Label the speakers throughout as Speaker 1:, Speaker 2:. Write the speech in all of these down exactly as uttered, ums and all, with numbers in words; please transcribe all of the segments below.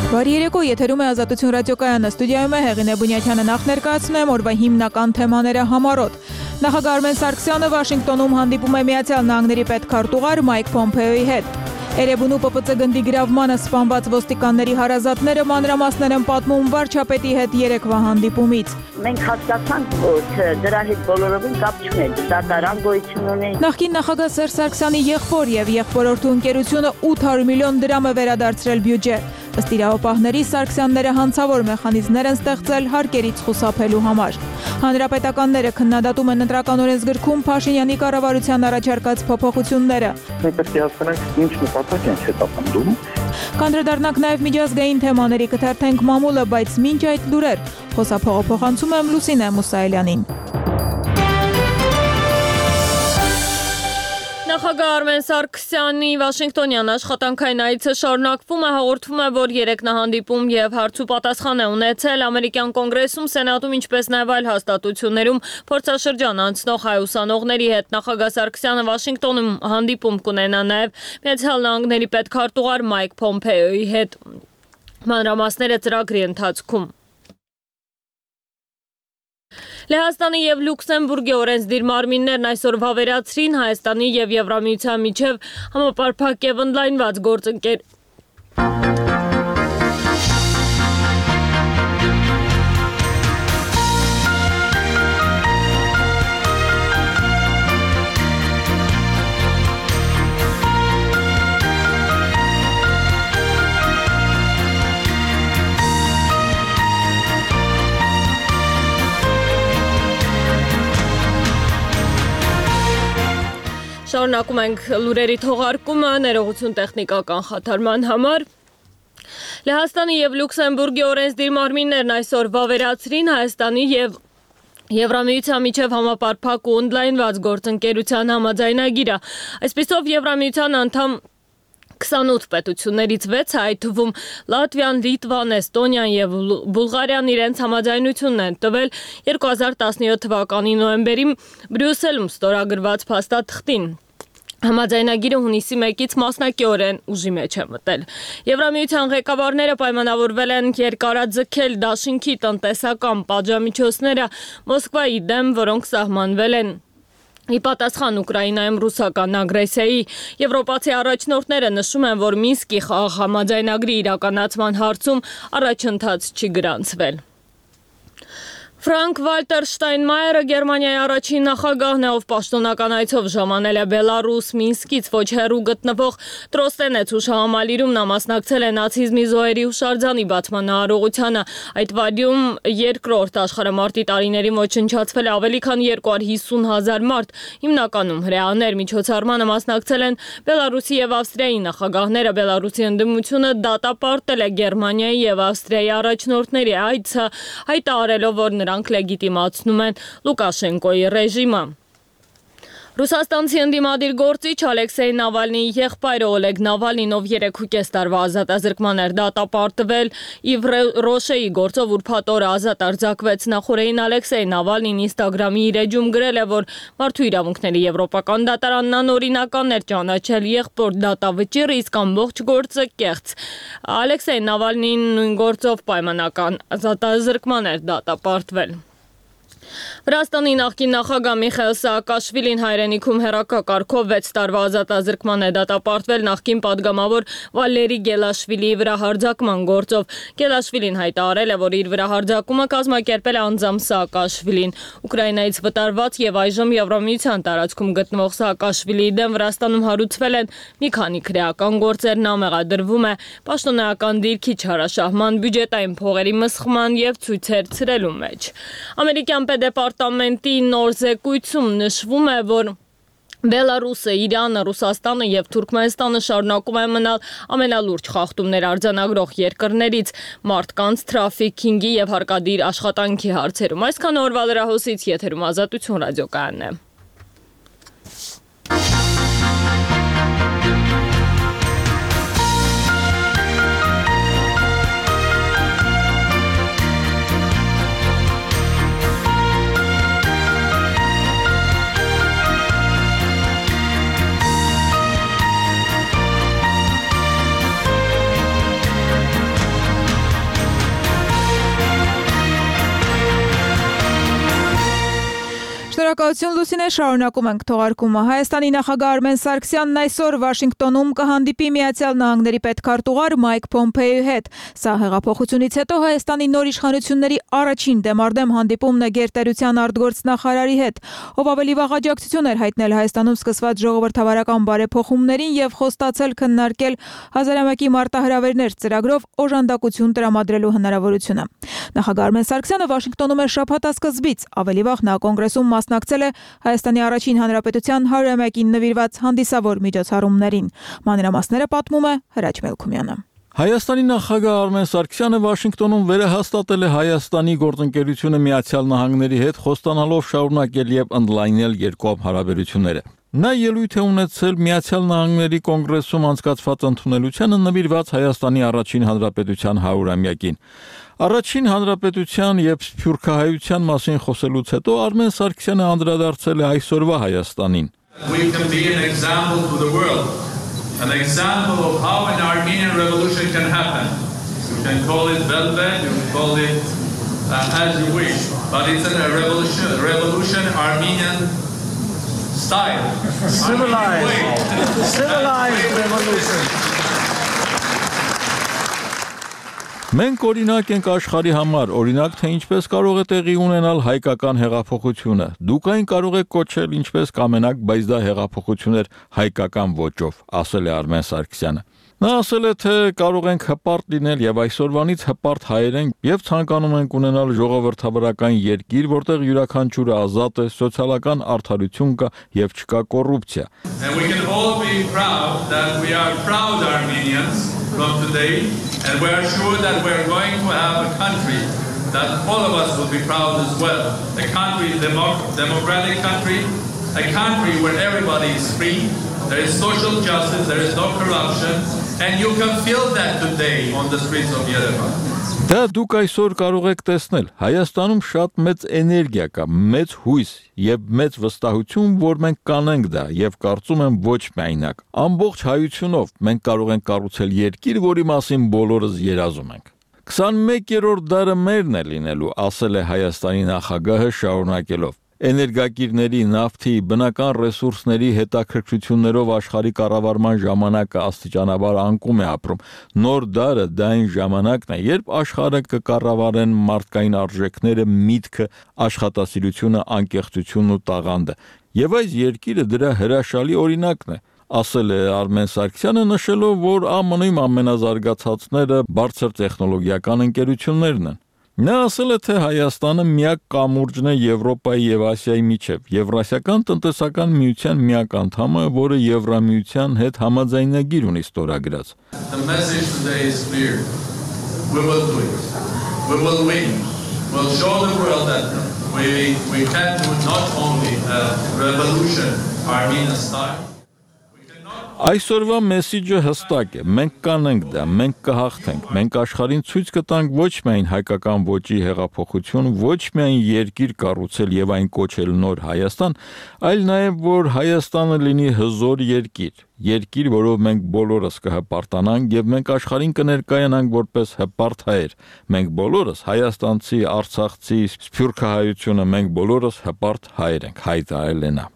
Speaker 1: Բարի երեկո, եթերում է Ազատություն ռադիոկայանը, ստուդիայում է Հեղինե Բունյաթյանը, նախ ներկայացնում օրվա հիմնական թեմաները համառոտ։ Նախագահ Արմեն Սարգսյանը Վաշինգտոնում հանդիպում է Միացյալ Նահանգների պետքարտուղար Մայք Փոմփեոյի հետ։ Էրեբունու Պ Պ Ց գնդի գրավմանը սպանված ոստիկանների հարազատները մանրամասներ են պատմում վարչապետի հետ երեկվա հանդիպումից։
Speaker 2: Մենք հասկացանք, որ դրա հետ բոլորովին կապ չունի, դատարան գոյություն ունի։
Speaker 1: Նախկին նախագահ Սերժ Սարգսյանի եղբոր եւ եղբորորդու ընկերությունը ութ հարյուր միլիոն դրամ է վերադարձրել բյուջե։ Ըստ իրավապահների Սարգսյանները հանցավոր մեխանիզմներ են ստեղծել հարկերից խուսափելու համար։ Հանրապետականները քննադատում են ընտրական օրենսգրքում Փաշինյանի կառավարության առաջարկած փոփոխությունները։
Speaker 3: Մենք պետք է հասկանանք ինչ նպատակ են հետապնդում։
Speaker 1: Կանդրադառնանք նաև միջազգային թեմաների, կթերթենք մամուլը, բայց մինչ այդ լուրեր, խոսափողը փոխանցում եմ Լուսինե Մուսայելյանին։ Նախագահ Արմեն Սարգսյանի Վաշինգտոնյան աշխատանքային այցը շարունակվում է, հաղորդվում է, որ երեկ նա հանդիպում եւ հարց ու պատասխան է ունեցել ամերիկյան կոնգրեսում, սենատում, ինչպես նաեւ այլ հաստատություններում փորձաշրջան անցնող հայ ուսանողների հետ։ Նախագահ Սարգսյանը Վաշինգտոնում հանդիպում կունենա նաեւ Միացյալ Նահանգների պետքարտուղար Մայք Փոմփեոյի հետ։ Մանրամասները ծրագրի ընթացքում։ Լեհաստանի եւ Լյուքսեմբուրգի օրենսդիր մարմիններն այսօր վավերացրին Հայաստանի եւ Եվրամիության միջև համապարփակ եւ օնլայնված գործընկեր Շարունակում ենք լուրերի թողարկումը, ներողություն տեխնիկական խաթարման համար։ Լեհաստանի եւ Լյուքսեմբուրգի օրենսդիր մարմիններն այսօր վավերացրին Հայաստանի եւ Եվրամիության միջև համապարփակ ու օնլայնված գործընկերության համաձայնագիրը։ Այսպիսով Եվրամիության անդամ քսանութ պետություններից վեցը, այդ թվում Լատվիան, Լիտվան, Էստոնիան եւ Բուլղարիան իրենց համաձայնությունն են տվել երկու հազար տասնյոթ թվականի նոյեմբերին Բրյուսելում ստորագրված փաստաթղթին։ Համաձայնագիրը հունիսի մեկից մասնակիորեն ուժի մեջ է մտել։ Եվրամիության ղեկավարները պայմանավորվել են երկարաձգել դաշինքի տնտեսական պատժամիջոցները Մոսկվայի դեմ, որոնք սահմանվել են ի պատասխան Ուկրաինայում ռուսական ագրեսիայի։ Եվրոպացի առաջնորդները նշում են, որ Մինսկի խաղաղ համաձայնագրի իրականացման հարցում առաջընթաց չի գրանցվել։ Ֆրանկ Վալտեր Շտայնմայերը Գերմանիայի առաջին նախագահն է, ով պաշտոնական այցով ժամանել է Բելարուս Մինսկից ոչ հեռու գտնվող Տրոստենեց հուշահամալիրում նա մասնակցել է նացիզմի զոհերի հուշարձանի բացման արարողությանը։ Այդ վայրում երկրորդ աշխարհամարտի տարիներին ոչնչացվել է ավելի քան երկու հարյուր հիսուն հազար մարդ, հիմնականում հրեաներ։ Միջոցառմանը մասնակցել են Բելարուսի եւ Ավստրիայի նախագահները։ Բելարուսի ընդդիմությունը դատապարտել է Գերմանիայի եւ Ավստրիայի առաջնորդների այցը, հայտարարելով, որ նրանք լեգիտիմացնում են Լուկաշենկոյի ռեժիմը։ Ռուսաստանցի ընդդիմադիր գործիչ Ալեքսեյ Նավալնիի եղբայրը Օլեգ Նավալնին, ով երեք ու կես տարվա ազատազրկման էր դատապարտվել Իվ Ռոշեի գործով ուրբաթ օրը ազատ արձակվեց։ Նախորդին Ալեքսեյ Նավալնին Ինստագրամի իր էջում գրել է, որ Մարդու իրավունքների եվրոպական դատարանն անօրինական էր ճանաչել եղբոր դատավճիռը, իսկ ամբողջ գործը կեղծ։ Ալեքսեյ Նավալնին նույն գործով պայմանական ազատազրկման էր դատապարտվել։ Վրաստանի նախկին նախագահ Միխայիլ Սաակաշվիլին հայրենիքում հեռակակարգով վեց տարվա ազատազրկման է դատապարտվել նախկին падգամավոր Վալերի Գելաշվիլիի վրա հարձակման գործով։ Գելաշվիլին հայտարարել է, որ իր վրա հարձակումը կազմակերպել է անձամբ Սաակաշվիլին։ Ուկրաինայից վտարված եւ այժմ Եվրամիության տարածքում գտնվող Սաակաշվիլիի դեմ Վրաստանում հարուցվել են մի քանի քրեական գործեր, նա մեղադրվում է պաշտոնական դիրքի չարաշահման, բյուջետային փողերի մսխման եւ ցույցեր ցրելու մեջ։ Ամերիկյան Դեպարտամենտի նոր զեկույցում նշվում է, որ Բելարուսը, Իրանը, Ռուսաստանը եւ Թուրքմենստանը շարունակում են մնալ ամենալուրջ խախտումներ արձանագրող երկրներից մարդկանց թրաֆիքինգի եւ հարկադիր աշխատանքի հարցերում։ Այսքան օրվա լրահոսից եթերում Ազատություն ռադիոկայանն է։
Speaker 4: Շնորհակալություն Լուսինե, շարունակում ենք թողարկումը։ Հայաստանի նախագահ Արմեն Սարգսյանն այսօր Վաշինգտոնում կհանդիպի Միացյալ Նահանգների պետքարտուղար Մայք Փոմփեոյի հետ։ Սա հեղափոխությունից հետո Հայաստանի նոր իշխանությունների առաջին դեմարդեմ հանդիպումն է գերտերության արտգործնախարարի հետ, ով ավելի վաղ աջակցություն էր հայտնել Հայաստանում սկսված ժողովրդավարական բարեփոխումներին եւ խոստացել քննարկել հազարամյակի մարտահրավերներ ծրագրով օժանդակություն տրամադրելու հնարավորությունը։ Նախագահ Արմեն Սարգսյանը Վաշինգտոնում է շաբաթ սկզբից, ավելի վաղ նա կոնգրեսում մասնակցել է Հայաստանի առաջին հանրապետության հարյուրամյակին նվիրված հանդիսավոր միջոցառումներին։ Մանրամասները պատմում է Հրաչ Մելքումյանը։
Speaker 5: Հայաստանի նախագահ Արմեն Սարգսյանը Վաշինգտոնում վերահաստատել է Հայաստանի գործընկերությունը Միացյալ Նահանգների հետ խոստանալով շարունակել եւ ընդլայնել երկկողմ հարաբերությունները։ Նա ելույթ է ունեցել Միացյալ Նահանգների կոնգրեսում անցկացված ընդունելությանը նվիրված Հայաստանի առաջին հանրապետության հարյուրամյակին։ Առաջին հանրապետության եւ սփյուռքահայության մասին խոսելուց հետո Արմեն Սարգսյանը անդրադարձել է այսօրվա Հայաստանին։
Speaker 6: We can be an example to the world, an example of how an Armenian revolution can happen. You can call it velvet, you can call it uh, as you wish, but it's a revolution, revolution Armenian style. Civilized,
Speaker 7: civilized revolution.
Speaker 5: Մենք օրինակ ենք աշխարհի համար, օրինակ թե ինչպես կարող է տեղի ունենալ հայկական հեղափոխությունը։ Դուք այն կարող եք կոչել ինչպես կամենաք, բայց դա հեղափոխություն էր հայկական ոճով, ասել է Արմեն Սարգսյանը։ Նա ասել է, թե կարող ենք հպարտ լինել եւ այսօրվանից հպարտ հայեր ենք եւ ցանկանում ենք ունենալ ժողովրդավարական երկիր, որտեղ յուրաքանչյուրը ազատ է, սոցիալական արդարություն կա եւ չկա կոռուպցիա։
Speaker 6: And we can all be proud that we are proud Armenians from today, and we are sure that we are going to have a country that all of us will be proud as well. A country, democ- democratic country, a country where everybody is free, there is social justice, there is no corruption, and you can feel that today on the streets of Yerevan.
Speaker 5: Դա դուք այսօր կարող եք տեսնել, Հայաստանում շատ մեծ էներգիա կա, մեծ հույս եւ մեծ վստահություն, որ մենք կանենք դա եւ կարծում եմ ոչ միայնակ։ Ամբողջ հայությունով մենք կարող ենք կառուցել երկիր, որի մասին բոլորս երազում ենք։ քսանմեկերորդ դարը մերն է լինելու, ասել է Հայաստանի նախագահը շարունակելով։ Էներգակիրների, նավթի, բնական ռեսուրսների հետաքրքրություններով աշխարհի կառավարման ժամանակը աստիճանաբար անկում է ապրում։ Նոր դարը դա այն ժամանակն է, երբ աշխարհը կկառավարեն մարդկային արժեքները, միտքը, աշխատասիրությունը, անկեղծությունն ու տաղանդը։ Եվ այս երկիրը դրա հրաշալի օրինակն է, ասել է Արմեն Սարգսյանը, նշելով, որ ԱՄՆ-ում ամենազարգացածները բարձր տեխնոլոգիական ընկերություններն են։ Նա ասել է, թե Հայաստանը միակ կամուրջն է Եվրոպայի եւ Ասիայի միջև, Եվրասիական տնտեսական միության միակ անդամը, որը Եվրամիության հետ համաձայնագիր ունի ստորագրած։
Speaker 6: The message today is clear. We will do it. We will win. We'll show the world that we we can do not only a revolution Armenian style.
Speaker 5: Այսօրվա մեսիջը հստակ է, մենք կանենք դա, մենք կհաղթենք, մենք աշխարհին ցույց կտանք ոչ միայն հայկական ոճի հեղափոխություն, ոչ միայն երկիր կառուցել եւ այն կոչել նոր Հայաստան, այլ նաեւ որ Հայաստանը լինի հզոր երկիր, երկիր, որով մենք բոլորս կհպարտանանք եւ մենք աշխարհին կներկայանանք որպես հպարտ հայեր։ Մենք բոլորս հայաստանցի, արցախցի, սփյուռքահայությունը, մենք բոլորս հպարտ հայեր ենք, հայտարարել է նա։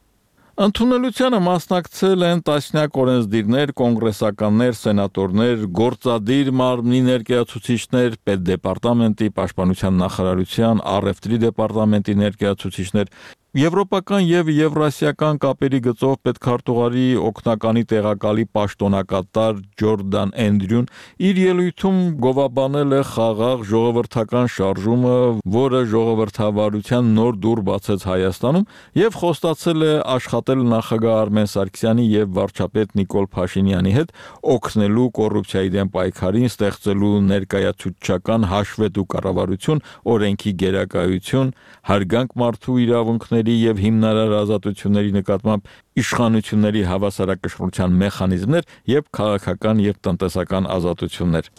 Speaker 5: Ընդունելությանը մասնակցել են տասնյակ օրենսդիրներ, կոնգրեսականներ, սենատորներ, գործադիր մարմնի ներկայացուցիչներ, պետդեպարտամենտի, պաշտպանության նախարարության, առևտրի դեպարտամենտի ներկայացուցիչներ, Եվրոպական եւ եվրասիական կապերի գծով պետքարտուղարի օգնականի տեղակալի պաշտոնակատար Ջորդան Էնդրյուն իր ելույթում գովաբանել է խաղաղ ժողովրդական շարժումը, որը ժողովրդավարության նոր դուռ բացեց Հայաստանում եւ խոստացել է աշխատել նախագահ Արմեն Սարգսյանի եւ վարչապետ Նիկոլ Փաշինյանի հետ օգնելու կոռուպցիայի դեմ պայքարին, ստեղծելու ներկայացուցչական հաշվետու կառավարություն, օրենքի գերակայություն, հարգանք մարդու իրավունքների եւ հիմնարար ազատությունների նկատմամբ իշխանությունների հավասարակշռության մեխանիզմներ եւ քաղաքական եւ տնտեսական ազատություններ։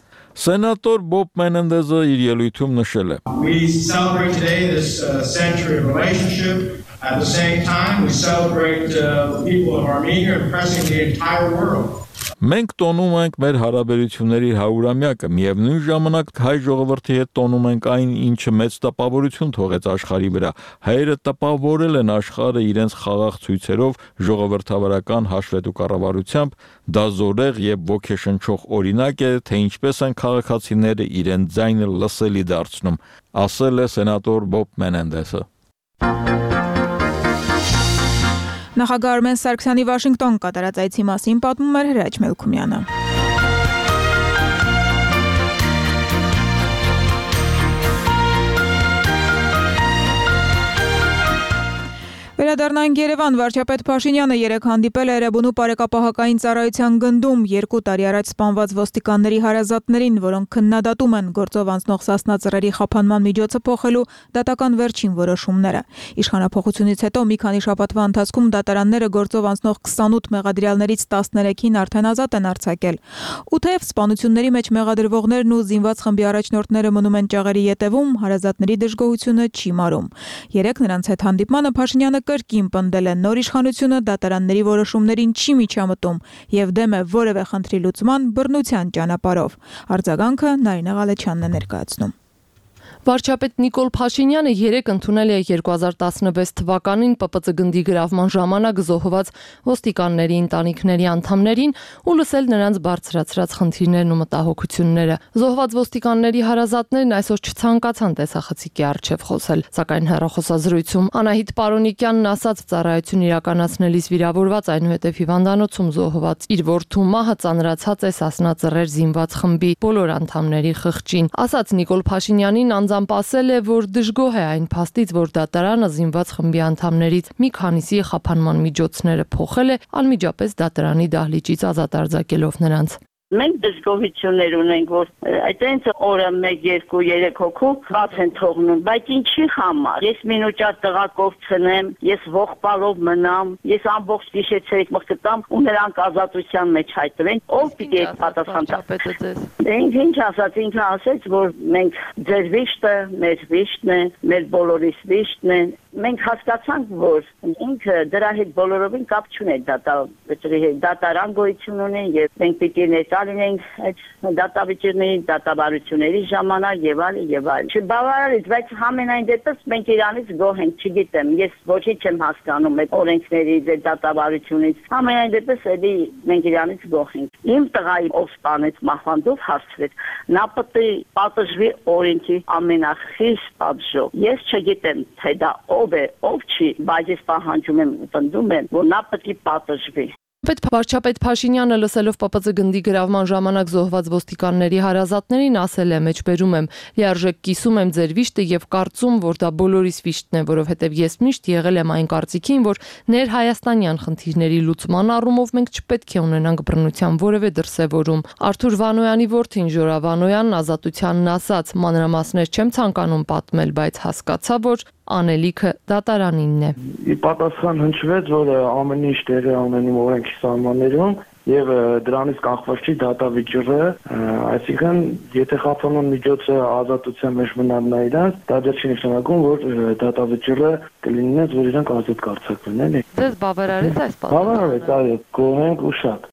Speaker 5: Սենատոր Բոբ Մենենդեզը իր ելույթում նշել է.
Speaker 7: We celebrate today this uh, century of relationship. At the same time, we celebrate uh, the people of Armenia impressing the entire world.
Speaker 5: Մենք տոնում ենք մեր հարաբերությունների հարյուրամյակը, միևնույն ժամանակ հայ ժողովրդի հետ տոնում ենք այն, ինչը մեծ տպավորություն թողեց աշխարհի վրա։ Հայերը տպավորել են աշխարհը իրենց խաղաղ ցույցերով, ժողովրդավարական հաշվետու կառավարությամբ, դա զորեղ եւ ոգեշնչող օրինակ է, թե ինչպես են քաղաքացիները իրենց ձայնը լսելի դարձնում, ասել է սենատոր Բոբ Մենենդեսը։
Speaker 4: Նախագահ Արմեն Սարգսյանի Վաշինգտոն կատարած այցի մասին պատմում էր Հրաչ Մելքումյանը։ Վերադառնանք Երևան, վարչապետ Փաշինյանը երեկ հանդիպել է Էրեբունու բարեկապահական ծառայության գնդում երկու տարի առաջ սպանված ոստիկանների հարազատներին, որոնք քննադատում են գործով անցնող Սասնա խափանման միջոցը փոխելու դատական վերջին որոշումները։ Իշխանափոխությունից հետո մի քանի շաբաթվա ընթացքում դատարանները գործով անցնող քսանութ մեղադրյալներից տասներեքին արդեն ազատ են արձակել։ Ու թեև սպանությունների մեջ մեղադրվողներն ու զինված խմբի առաջնորդները մնում են ճաղերի ետևում, հարազատների դժգոհությունը չի մարում։ Երեկ նրանց հետ հանդիպմանը Փաշինյանը կրկին պնդել է նոր իշխանությունը դատարանների որոշումներին չի միջամտում եւ դեմ է որևէ խնդրի լուծման բռնության ճանապարհով։ Արձագանքը Նարինե Ղալեչյանն է ներկայացնում։
Speaker 8: Վարչապետ Նիկոլ Փաշինյանը երեկ ընդունել է երկու հազար տասնվեց թվականին Պ Պ Ծ գնդի գրավման ժամանակ զոհված ոստիկանների ընտանիքների անդամներին ու լսել նրանց բարձրացրած խնդիրներն ու մտահոգությունները։ Զոհված ոստիկանների հարազատներն այսօր չցանկացան տեսախցիկի առջև խոսել, սակայն հեռախոսազրույցում Անահիտ Պարոնիկյանն ասաց ծառայություն իրականացնելիս վիրավորված, այնուհետև հիվանդանոցում զոհված իր որդու մահը ծանրացած է Սասնա զինված խմբի բոլոր անդամների խղճին։ Ասաց Նիկոլ Փաշինյանին անձամբ ասել է, որ դժգոհ է այն փաստից, որ դատարանը զինված խմբի անդամներից մի քանիսի խափանման միջոցները փոխել է, անմիջապես դատարանի դահլիճից ազատ արձակելով նրանց։
Speaker 2: Մենք դժգոհություններ ունենք, որ այդտենց օրը մեկ, երկու, երեք հոգու բաց են թողնում, բայց ինչի համար։ Ես մինուճար տղա կորցնեմ, ես ողբալով մնամ, ես ամբողջ գիշերցերից մխկտամ ու նրանք ազատության մեջ հայտնվեն, ով պիտի այդ պատասխան տա։ Ինք ինչ ասաց, ինքը ասաց, որ մենք ձեր վիշտը, մեր վիշտն է, մեր բոլորիս վիշտն է։ Մենք հասկացանք, որ ինքը դրա հետ բոլորովին կապ չունի դատարան գոյություն ունի եւ մենք պիտի ներկայացնենք այդ դատավճիռների, դատավարությունների ժամանակ եւ այլն եւ այլն։ Չբավարարից, բայց համենայն դեպս մենք իրանից գոհ ենք, չգիտեմ, ես ոչինչ չեմ հասկանում այդ օրենքներից, այդ դատավարությունից։ Համենայն դեպս էլի մենք իրանից գոհ ենք։ Իմ տղայի ով սպանեց մահվանդով հարցրեց, նա պետք է պատժվի օրենքի ամենախիստ պատժով։ Ես չգիտեմ, թե դա ով է, ով չի, բայց ես պահանջում եմ, պնդում եմ, որ նա պետք է պատժվի։
Speaker 8: Վարչապետ Փաշինյանը լսելով Պ Պ Ծ գնդի գրավման ժամանակ զոհված ոստիկանների հարազատներին ասել է, մեջբերում եմ, լիարժեք կիսում եմ ձեր վիշտը եւ կարծում, որ դա բոլորիս վիշտն է, որովհետեւ ես միշտ եղել եմ այն կարծիքին, որ ներհայաստանյան խնդիրների լուծման առումով մենք չպետք է ունենանք բռնության որևէ դրսևորում։ Արթուր Վանոյանի որդին Ժորա Վանոյանն ազատությանն ասաց, մանրամասներ չեմ ցանկանում պատմել, բայց հասկացա, որ անելիքը դատարանինն է։
Speaker 9: Ի պատասխան հնչվեց, որ ամեն ինչ տեղի ունենում օրենքի սահմաններում եւ դրանից կախված չի դատավճիռը, այսինքն եթե խափանման միջոցը ազատության մեջ մնան նա իրանց, դա դեռ չի նշանակում, որ դատավճիռը կլինի, որ իրանք ազատ կարձակվեն, էլի։
Speaker 8: Ձեզ բավարարեց այս պատասխանը։
Speaker 9: Բավարարեց, այո, գոհ ենք ու շատ։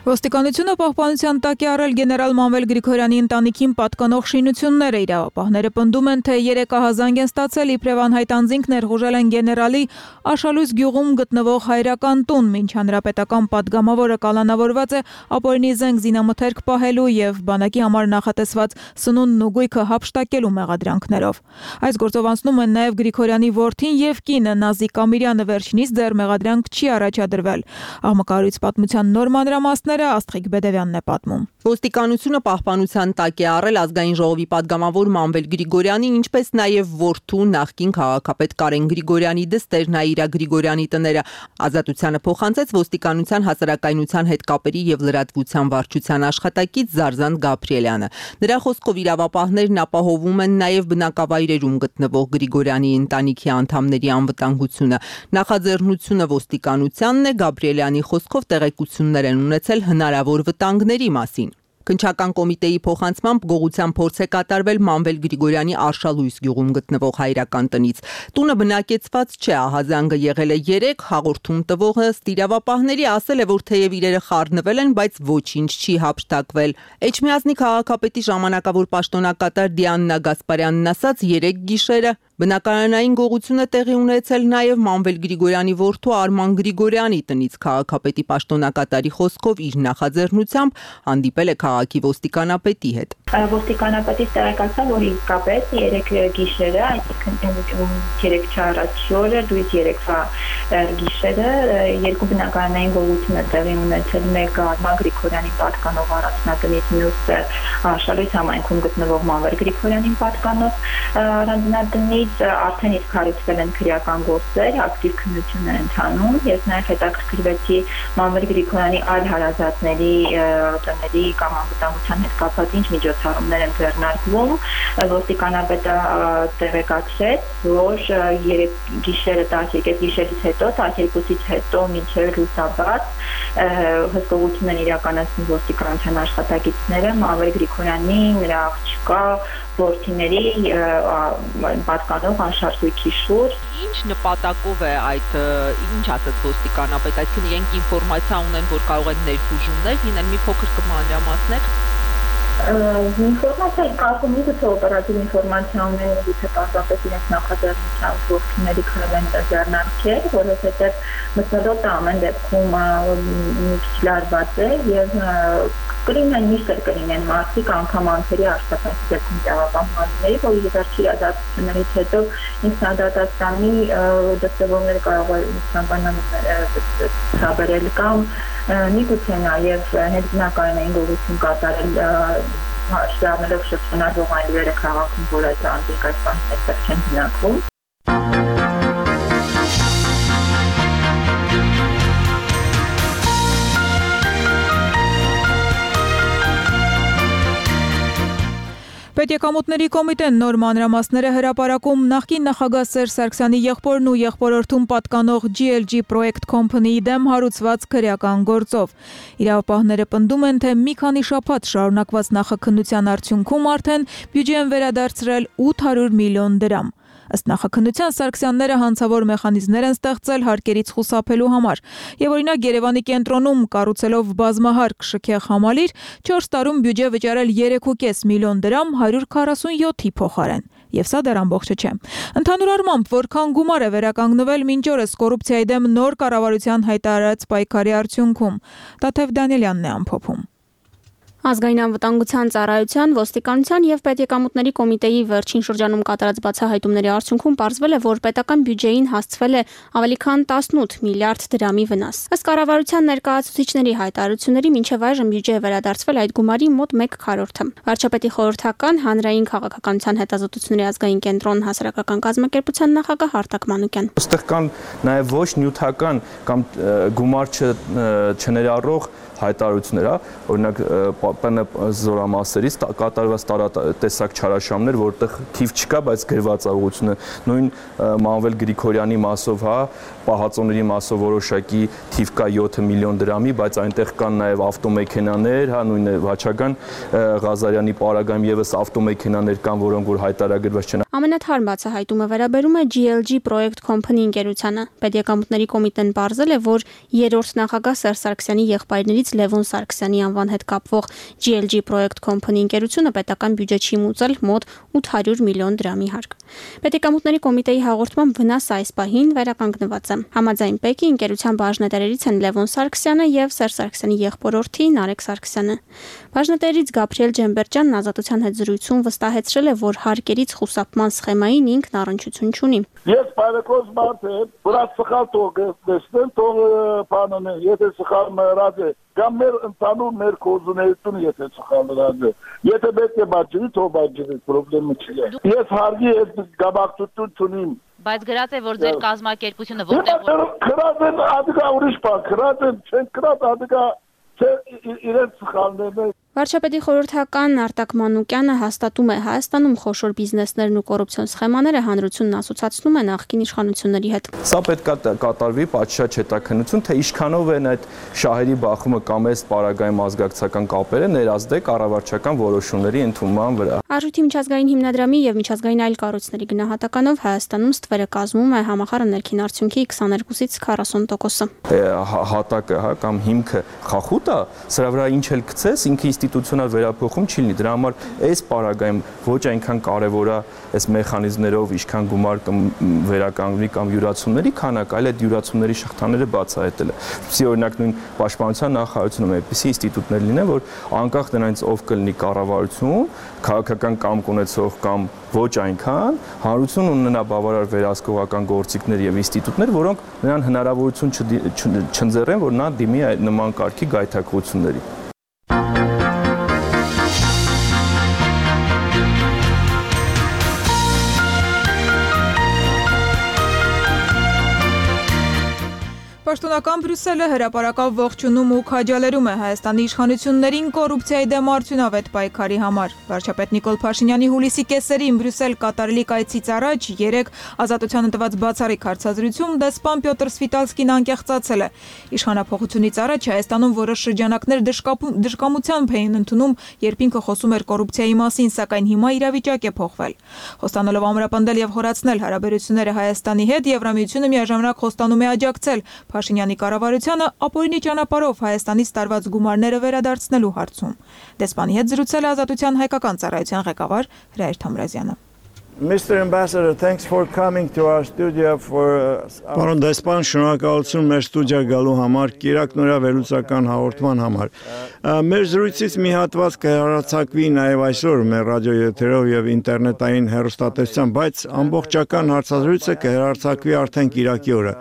Speaker 4: Ոստիկանությունը պահպանության տակ է առել գեներալ Մանվել Գրիգորյանի ընտանիքին պատկանող շինությունները։ Իրավապահները պնդում են, թե երեկահազանգ են ստացել իբրև անհայտ անձինք ներխուժել են գեներալի Աշալույս գյուղում գտնվող հայրական տուն, մինչ հանրապետական պատգամավորը կալանավորված է ապօրինի զենք զինամթերք պահելու եւ բանակի համար նախատեսված սնունդն ու գույքը հափշտակելու մեղադրանքներով։ Այս գործով անցնում են նաեւ Գրիգորյանի որդին եւ կինը Նազիկ Ամիրյանը, վերջինիս դեռ մեղադրանք չի առաջադրվել։ Աղմկահարույց պատմության նոր մանրամասներ Աստղիկ Բեդևյանն է պատմում։
Speaker 10: Ոստիկանությունը պահպանության տակ է առել ազգային ժողովի падգամավոր Մանվել Գրիգորյանին, ինչպես նաև որդու նախկին քաղաքապետ Կարեն Գրիգորյանի դստեր Նաիրա Գրիգորյանի տները։ Ազատությանը փոխանցեց ոստիկանության հասարակայնության հետ կապերի եւ լրատվության վարչության աշխատակից Զարզան Գաբրիելյանը։ Նրա խոսքով իրավապահներն ապահովում են նաև բնակավայրերում գտնվող Գրիգորյանի ընտանիքի անդամների անվտանգությունը։ Նախաձեռնությունը ոստիկանությանն է, Գաբրիելյանի խոսքով տեղեկություններ են ունեցել հնարավոր վտանգների մասին։ Քննչական կոմիտեի փոխանցմամբ գողության փորձ է կատարվել Մանվել Գրիգորյանի Արշալույս գյուղում գտնվող հայրական տնից։ Տունը բնակեցված չէ, ահազանգը եղել է երեք, հաղորդում տվողը ստիրավապահների ասել է, որ թեև իրերը խառնվել են, բայց ոչինչ չի հափշտակվել։ Էջմիածնի քաղաքապետի ժամանակավոր պաշտոնակատար Դիանա Գասպարյանն ասաց, երեք գիշերը բնակարանային գողությունը տեղի ունեցել նաև Մանվել Գրիգորյանի որդու Արման Գրիգորյանի տնից քաղաքապետի պաշտոնակատարի խոսքով իր նախաձեռնությամբ հանդիպել է քաղաքի ոստիկանապետի հետ։
Speaker 11: Ոստիկանապետից տեղեկացա, որ իսկապես երեք գիշերը, այսինքն երեք չառաջի օրը, դույս երեկվա գիշերը երկու բնակարանային գողություն է տեղի ունեցել, մեկը Արման Գրիգորյանի պատկանող առանձնատնից, մյուսը Արշալույս համայնքում գտնվող Մանվել Գրիգորյանին պատկանող առանձնատնից արդեն իսկ հարուցվել են քրեական գործեր, ակտիվ քննություն է ընթանում։ Ես նաև հետաքրքրվեցի Մանվել Գրիգորյանի այլ հարազատների տների կամ անվտանգության հետ կապված ինչ միջոցառումներ են ձեռնարկվում։ Ոստիկանապետը տեղեկացրեց, որ երեք գիշերը տասներկու գիշերից հետո, տասներկուից հետո մինչև լուսաբաց հսկողություն են իրականացնում ոստիկանության աշխատակիցները Մանվել Գրիգորյանի, նրա աղջկա, որդիների պատկանող անշարժույթի շուրջ։
Speaker 10: Ինչ նպատակով է այդ, ինչ ասաց ոստիկանապետ, այսինքն իրենք ինֆորմացիա ունեն, որ կարող են ներխուժումներ լինել, մի փոքր կմանրամասնեք։
Speaker 11: Ինֆորմացիա կարգում գուցե օպերատիվ ինֆորմացիա ունեն, գուցե պարզապես իրենց նախաձեռնությամբ ողջունելի քայլեն ձեռնարկել, որովհետև մթնոլորտը ամեն դեպքում մի քիչ լարված է եւ կլինեն միշտ կլինեն մարդիկ անգամ անձերի աշխատանքի դեպքում տեղապահմանների, որ իրարքի իրադարձություններից հետո ինքնադատաստանի դրսևորումները կարող է ցանկանալ ցաբերել կամ միգուցե նաև հենց բնակարանային գողություն կատարել շարունակելով շրջանառվող այլերը քաղաքում, որ այդ անձիկ այս բաններ չեն հնարքում։
Speaker 4: Պետեկամուտների կոմիտեն նոր մանրամասներ է հրապարակում նախկին նախագահ Սերժ Սարգսյանի եղբորն ու եղբորորդուն պատկանող G L G Project Company-ի դեմ հարուցված քրեական գործով։ Իրավապահները պնդում են, թե մի քանի շաբաթ շարունակված նախաքննության արդյունքում արդեն բյուջե են վերադարձրել ութ հարյուր միլիոն դրամ։ Ըստ նախաքննության Սարգսյանները հանցավոր մեխանիզմներ են ստեղծել հարկերից խուսափելու համար, եւ օրինակ Երևանի կենտրոնում կառուցելով բազմահարկ շքեղ համալիր չորս տարում բյուջե վճարել երեք ու կես միլիոն դրամ հարյուր քառասունյոթի փոխարեն։ Եվ սա դեռ ամբողջը չէ։ Ընդհանուր առմամբ, որքան գումար է վերականգնվել մինչ օրս կոռուպցիայի դեմ նոր կառավարության հայտարարած պայքարի արդյունքում, Տաթև Դանիելյանն է ամփոփում։
Speaker 12: Ազգային անվտանգության ծառայության, ոստիկանության եւ պետեկամուտների կոմիտեի վերջին շրջանում կատարած բացահայտումների արդյունքում պարզվել է, որ պետական բյուջեին հասցվել է ավելի քան տասնութ միլիարդ դրամի վնաս։ Ըստ կառավարության ներկայացուցիչների հայտարարությունների մինչև այժմ բյուջե է վերադարձվել այդ գումարի մոտ մեկ քառորդը։ Վարչապետի խորհրդական հանրային քաղաքականության հետազոտությունների ազգային կենտրոն հասարակական կազմակերպության նախագահ Արտակ Մանուկյան։
Speaker 13: Այստեղ կան նաեւ ոչ նյութական կամ գումար չներառող հայտարարություններ, օրինակ ՊՆ զորամասերից կատարված տարատեսակ չարաշահումներ, որտեղ թիվ չկա, բայց գրված է ուղղությունը, նույն Մանվել Գրիգորյանի մասով, հա, պահածոների մասով որոշակի թիվ կա յոթ միլիոն դրամի, բայց այնտեղ կան նաև ավտոմեքենաներ, հա, նույն Վաչագան Ղազարյանի պարագայում եւս ավտոմեքենաներ կան, որոնք որ հայտարարագրված չեն։
Speaker 12: Ամենաթարմ բացահայտումը վերաբերում է G L G Project Company ընկերությանը։ Պետեկամուտների կոմիտեն պարզել է, որ երրորդ նախագահ Սերժ Սարգսյանի եղբայրներից Լևոն Սարգսյանի անվան հետ կապվող G L G Project Company ընկերությունը պետական բյուջե չի մուծել մոտ ութ հարյուր միլիոն դրամի հարկ։ Պետեկամուտների կոմիտեի հաղորդմամբ վնասը այս պահին վերականգնված է։ Համաձայն ՊԵԿ-ի ընկերության բաժնետերերից են Լևոն Սարգսյանը եւ Սերժ Սարգսյանի եղբորորդի Նարեկ Սարգսյանը։ Բաժնետերից Գաբրիել Ջեմբերջյանն ազատության հետ զրույցում վստահեցրել է, որ հարկերից խուսափման սխեմային ինքն առնչություն չունի։
Speaker 14: Ես բարեկոս մարդ եմ, որ սխալ թող դեսնեն, թող բանն է, եթե սխալ մեռած է, կամ մեր ընդհանուր մեր կոզուներությունը եթե սխալ մեռած է, եթե պետք է բաժնի, թող բաժնի, խնդրեմ չի։ Ես հարգի հետ գաբակցություն չունիմ։
Speaker 15: Բայց գրած է, որ ձեր կազմակերպությունը որտեղ
Speaker 14: քրած են ադիգա ուրիշ բան, քրած են, չեն քրած ադիգա իրենց սխալներն են։
Speaker 12: Վարչապետի խորհրդական Արտակ Մանուկյանը հաստատում է Հայաստանում խոշոր բիզնեսներն ու կոռուպցիոն սխեմաները հանրությունն ասոցացնում է նախկին իշխանությունների հետ։
Speaker 13: Սա պետք է կատարվի պատշաճ հետաքննություն, թե ինչքանով են այդ շահերի բախումը կամ այս պարագայում ազգակցական կապերը ներազդե կառավարչական որոշումների ընդունման վրա։
Speaker 12: Արժույթի միջազգային հիմնադրամի եւ միջազգային այլ կառույցների գնահատականով Հայաստանում ստվերը կազմում է համախառն ներքին արդյունքի քսաներկուսից քառասուն տոկոսը։
Speaker 13: Հատակը, հա, կամ հիմքը խախուտ է, սրա վրա ինչ էլ գցես, ինքը ինստիտուցիոնալ վերափոխում չի լինի։ Դրա համար այս պարագայում ոչ այնքան կարևոր է այս մեխանիզմներով ինչքան գումար վերականգնի կամ յուրացումների քանակ, այլ այդ յուրացումների շղթաները բացահայտելը։ Սի օրինակ նույն պաշտպանության նախարարությունում այդպիսի ինստիտուտներ լինեն, որ անկախ դրանից ով կլինի կառավարություն, քաղաքական կամք ունեցող կամ ոչ այնքան, հանրություն ունենա բավարար վերահսկողական գործիքներ եւ ինստիտուտներ, որոնք նրան հնարավորություն չընձեռեն, որ նա դիմի այդ նման կարգի գայթակղությունների։
Speaker 4: Պաշտոնական Բրյուսելը հրապարակավ ողջունում ու քաջալերում է Հայաստանի իշխանություններին կոռուպցիայի դեմ արդյունավետ պայքարի համար։ Վարչապետ Նիկոլ Փաշինյանի հուլիսի կեսերին Բրյուսել կատարելիք այցից առաջ երեք Ազատությանը տված բացառիկ հարցազրույցում դեսպան Պյոտր Սվիտալսկին անկեղծացել է։ Իշխանափոխությունից առաջ Հայաստանում որոշ շրջանակներ դժկամությամբ էին ընդունում, երբ ինքը խոսում էր կոռուպցիայի մասին, սակայն հիմա իրավիճակ է փոխվել։ Խոստանալով ամրապնդել եւ խորացնել հարաբերությունները Հայաստանի հետ, Եվրամիությունը միաժամանակ խոստանում է աջակցել Փաշինյանի կառավարությանը ապօրինի ճանապարհով Հայաստանից տարված գումարները վերադարձնելու հարցում։ Դեսպանի հետ զրուցել է Ազատության հայկական ծառայության ղեկավար Հրայր Թամրազյանը։
Speaker 16: Mister Ambassador, thanks for coming to our studio for Պարոն դեսպան, շնորհակալություն մեր ստուդիա գալու համար, Կիրակ նորավելուցական հաղորդման համար։ Մեր զրույցից մի հատված կհեռարձակվի նաև այսօր մեր ռադիոեթերով եւ ինտերնետային հեռուստատեսությամբ, բայց ամբողջական հարցազրույցը կհեռարձակվի արդեն Կիրակի օրը։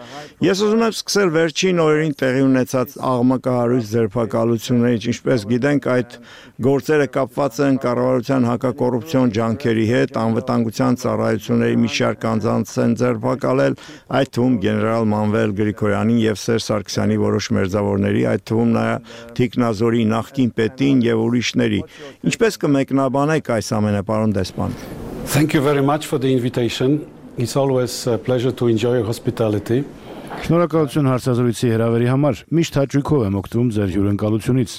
Speaker 16: Ես ուզում եմ սկսել վերջին օրերին տեղի ունեցած աղմկահարույց ձերբակալություններից, ինչպես գիտենք, այդ գործերը կապված են կառավարության հակակոռուպցիոն ջանքերի հետ, անվտանգության ծառայությունների մի շարք անձանց են ձերբակալել, այդ թվում գեներալ Մանվել Գրիգորյանին եւ Սերժ Սարգսյանի որոշ մերձավորների, այդ թվում նաեւ Թիկնազորի նախկին պետին եւ ուրիշների։ Ինչպես կմեկնաբանեք այս ամենը, պարոն դեսպան։
Speaker 17: Thank you very much for the invitation. It's always a pleasure to enjoy your hospitality.
Speaker 18: Շնորհակալություն հարցազրույցի հրավերի համար։ Միշտ հաճույքով եմ օգտվում ձեր հյուրընկալությունից։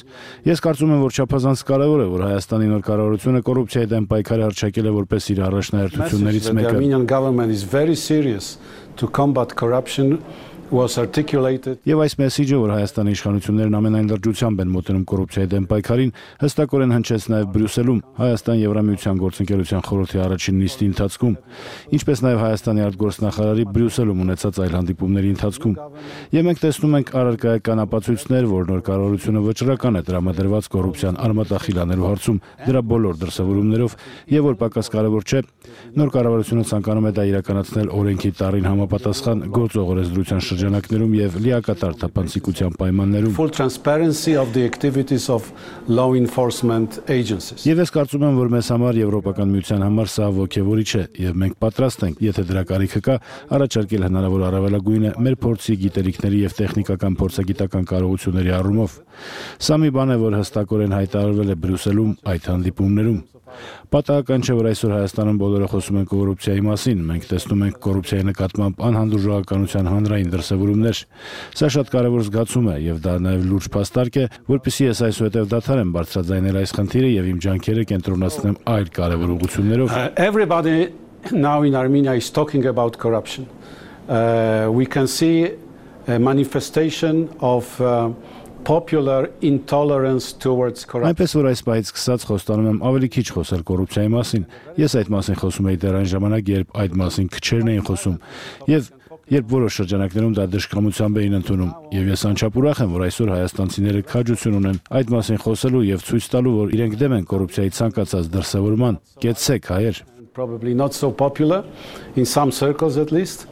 Speaker 18: Ես կարծում եմ, որ չափազանց կարևոր է, որ Հայաստանի նոր կառավարությունը կոռուպցիայի դեմ պայքարը հռչակել է որպես իր առաջնահերթություններից մեկը։
Speaker 17: The Armenian government is very serious to combat corruption was articulated.
Speaker 18: Եվ այս մեսիջը, որ Հայաստանի իշխանություններն ամենայն լրջությամբ են մոտենում կոռուպցիայի դեմ պայքարին, հստակորեն հնչեց նաև Բրյուսելում, Հայաստան-Եվրամիության գործընկերության խորհրդի առաջին նիստի ընթացքում, ինչպես նաև Հայաստանի արտգործնախարարի Բրյուսելում ունեցած այլ հանդիպումների ընթացքում։ Եվ մենք տեսնում ենք առարկայական ապացույցներ, որ նոր կառավարությունը վճռական է տրամադրված կոռուպցիան արմատախիլ անելու հարցում դրա բոլոր դրսևորումներով, եւ որ պակաս կարևոր չէ, նոր կառավարությունը ցանկանում է դա իրականացնել օրենքի տառին համապատասխան գործող օրենսդրության շրջանակներում եւ լիակատար թափանցիկության պայմաններում։
Speaker 17: Full transparency of the activities of law enforcement agencies.
Speaker 18: Եվ ես կարծում եմ, որ մեզ համար Եվրոպական միության համար սա ոգևորիչ է եւ մենք պատրաստ ենք, եթե դրա կարիքը կա, առաջարկել հնարավոր առավելագույնը մեր փորձի, գիտելիքների եւ տեխնիկական փորձագիտական կարողությունների առումով։ Սա մի բան է, որ հստակորեն հայտարարվել է Բրյուսելում այդ հանդիպումներում։ Պատահական չէ, որ այսօր Հայաստանում բոլորը խոսում են կոռուպցիայի մասին, մենք տեսնում ենք կոռուպցիայի նկատմամբ անհանդուրժողականության հանրային դրսևորումներ։ Սա շատ կարևոր զգացում է եւ դա նաեւ լուրջ փաստարկ է, որպեսզի ես այսուհետեւ դադարեմ բարձրաձայնել այս խնդիրը եւ իմ ջանքերը կենտրոնացնեմ այլ կարևոր ուղղություններով։
Speaker 17: Everybody now in Armenia is talking about corruption. Uh, we can see a manifestation of uh, popular intolerance towards corruption.
Speaker 18: Այնպես որ այս պահից սկսած խոստանում եմ ավելի քիչ խոսել կոռուպցիայի մասին։ Ես այդ մասին խոսում էի դեռ այն ժամանակ, երբ այդ մասին քչերն էին խոսում, եւ երբ որոշ շրջանակներում դա դժկամությամբ էին ընդունում, եւ ես անչափ ուրախ եմ, որ այսօր հայաստանցիները քաջություն ունեն այդ մասին խոսելու եւ ցույց տալու, որ իրենք դեմ են կոռուպցիայի ցանկացած դրսևորման։ Կեցեք, հայեր։
Speaker 17: Probably not so popular in some circles at least,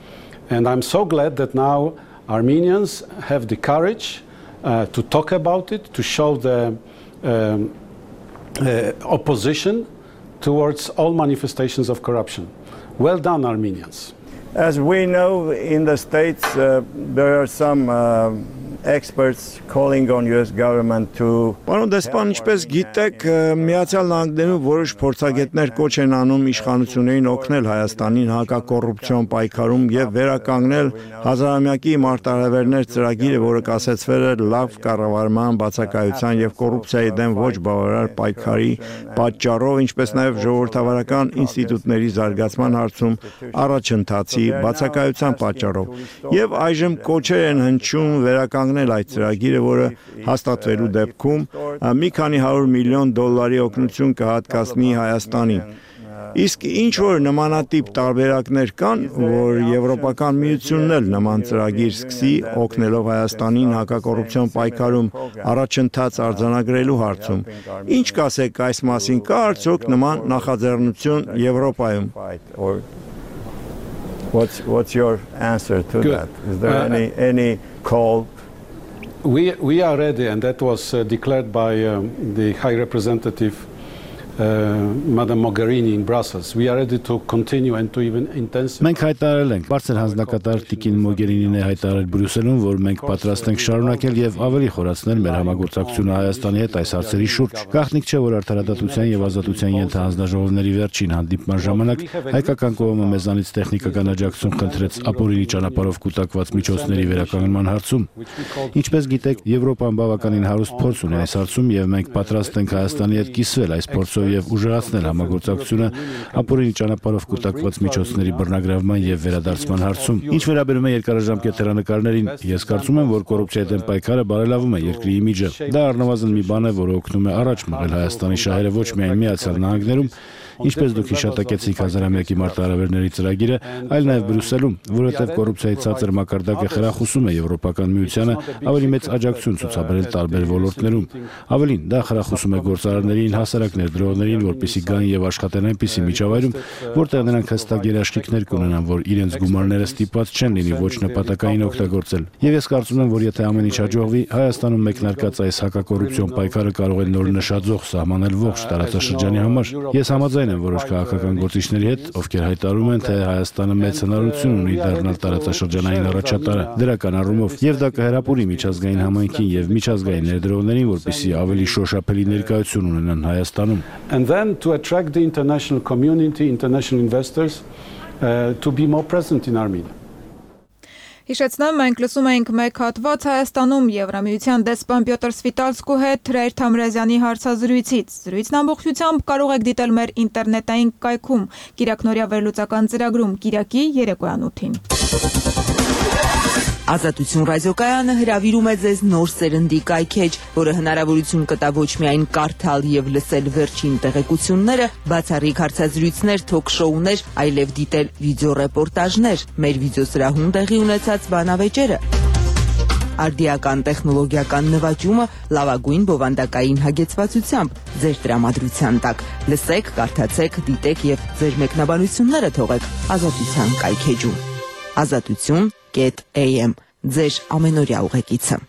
Speaker 17: and I'm so glad that now Armenians have the courage Uh, to talk about it, to show the um, uh, opposition towards all manifestations of corruption. Well done, Armenians.
Speaker 16: As we know, in the States, uh, there are some uh, experts calling on U S government to Պարոն դեսպան, ինչպես գիտեք, Միացյալ Նահանգներում որոշ փորձագետներ կոչ են անում իշխանություններին օգնել Հայաստանին հակակոռուպցիոն պայքարում եւ վերականգնել հազարամյակի մարտահրավերներ ծրագիրը, որը կասեցվել է լավ կառավարման, բացակայության եւ կոռուպցիայի դեմ ոչ բավարար պայքարի պատճառով, ինչպես նաեւ ժողովրդավարական ինստիտուտների զարգացման հարցում առաջընթացի բացակայության պատճառով։ Եվ այժմ կոչեր են հնչում վերականգնել այդ ծրագիրը, որը հաստատվելու դեպքում մի քանի հարյուր միլիոն դոլարի օգնություն կհատկացնի Հայաստանին։ Իսկ ինչ որ նմանատիպ տարբերակներ կան, որ Եվրոպական միությունն էլ նման ծրագիր սկսի օգնելով Հայաստանին հակակոռուպցիոն պայքարում առաջընթաց արձանագրելու հարցում։ Ինչ կասեք այս մասին, կա արդյոք նման նախաձեռնություն Եվրոպայում։ What's what's your answer to Good. that? Is there uh, any any call?
Speaker 17: We we are ready, and that was uh, declared by um, the High Representative uh, Madam Mogherini in Brussels. We are ready to continue and to even intensify.
Speaker 18: Մենք հայտարարել ենք, բարձր հանձնակատար Տիկին Մոգերինին է հայտարարել Բրյուսելում, որ մենք պատրաստ ենք շարունակել եւ ավելի խորացնել մեր համագործակցությունը Հայաստանի հետ այս հարցերի շուրջ։ Գաղտնիք չէ, որ արդարադատության եւ ազատության ենթահանձնաժողովների վերջին հանդիպման ժամանակ հայկական կողմը մեզանից տեխնիկական աջակցություն խնդրեց ապօրինի ճանապարհով կուտակված միջոցների վերականգնման հարցում։ Ինչպես գիտեք, Եվրոպան բավականին հարուստ փորձ ունի այս հարցում եւ մենք պատրաստ ենք Հայաստանի հետ կիսվել այս փորձով եւ ուժեղացնել համագործակցությունը ապօրինի ճանապարհով կուտակված միջոցների բռնագրավման եւ վերադարձման հարցում։ Ինչ վերաբերում է երկարաժամկետ հեռանկարներին, ես կարծում եմ, որ կոռուպցիայի դեմ պայքարը բարելավում է երկրի իմիջը։ Դա առնվազն մի բան է, որը օգնում է առաջ մղել Հայաստանի շահերը ոչ միայն Միացյալ Նահանգներում, ինչպես դուք հիշատակեցիք հազարամյակի մարտահրավերների ծրագիրը, այլ նաև Բրյուսելում, որովհետև կոռուպցիայի ցածր մակարդակը խրախուսում է Եվրոպական միությանը ավելի մեծ աջակցություն ցուցաբերել տարբեր ոլորտներում։ Ավելին, դա խրախուսում է գործարարներին, հասարակ ներդրողներին, որպեսզի գան եւ աշխատեն այնպիսի միջավայրում, որտեղ նրանք հստակ երաշխիքներ կունենան, որ իրենց գումարները ստիպված չեն լինի ոչ նպատակային օգտագործել։ Եվ ես կարծում եմ, որ եթե ամեն ինչ հաջողվի, Հայաստանում մեկնարկած այս հակակոռուպցիոն պայքարը կարող է նոր նշաձող սահմանել ողջ տարածաշրջանի համար։ Ես համաձայն եմ որոշ քաղաքական գործիչների հետ, ովքեր հայտարարում են, թե Հայաստանը մեծ հնարավորություն ունի դառնալ տարածաշրջանային առաջատարը դրական առումով, եւ դա կհրապուրի միջազգային համայնքին եւ միջազգային ներդրողներին, որպեսզի ավելի շոշափելի ներկայություն ունենան Հայաստանում։
Speaker 17: And then to attract the international community, international investors uh, to be more present in Armenia.
Speaker 4: Հիշեցնեմ, մենք լսում էինք մեկ հատված Հայաստանում Եվրամիության դեսպան Պյոտր Սվիտալսկու հետ Թրայր Թամրազյանի հարցազրույցից։ Զրույցն ամբողջությամբ կարող եք դիտել մեր ինտերնետային կայքում Կիրակնորյա վերլուծական ծրագրում Կիրակի երեկոյան ութին։
Speaker 10: Ազատություն ռադիոկայանը հրավիրում է ձեզ նոր սերնդի կայքեջ, որը հնարավորություն կտա ոչ միայն կարդալ եւ լսել վերջին տեղեկությունները, բացառիկ հարցազրույցներ, թոք-շոուներ, այլև դիտել վիդեոռեպորտաժներ, մեր վիդեոսրահում տեղի ունեցած բանավեճերը։ Արդիական տեխնոլոգիական նվաճումը լավագույն բովանդակային հագեցվածությամբ ձեր տրամադրության տակ։ Լսեք, կարդացեք, դիտեք եւ ձեր մեկնաբանությունները թողեք Ազատության կայքեջում։ Ազատություն Get A M ձեր ամենօրյա ուղեկիցը։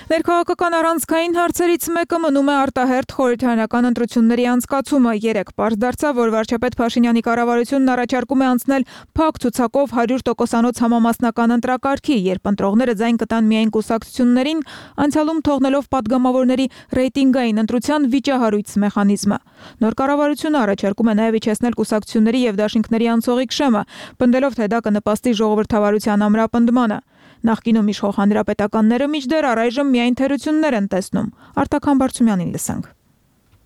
Speaker 4: Ներքաղաքական առանցքային հարցերից մեկը մնում է արտահերթ խորհրդարանական ընտրությունների անցկացումը։ Երեկ պարզ դարձավ, որ վարչապետ Փաշինյանի կառավարությունն առաջարկում է անցնել փակ ցուցակով հարյուր տոկոսանոց համամասնական ընտրակարգի, երբ ընտրողները ձայն կտան միայն կուսակցություններին, անցյալում թողնելով падգամավորների ռեյտինգային ընտրության վիճահարույց մեխանիզմը։ Նոր կառավարությունը առաջարկում է նաև իջեցնել կուսակցությունների եւ դաշինքների անցողիկ շեմը, պնդելով, թե դա կնպաստի ժողովրդավարության ամրապնդմանը։ Նախկինում իշխող հանրապետականները մինչդեռ առայժմ միայն թերություններ են տեսնում։ Արտակ Համբարձումյանին լսենք։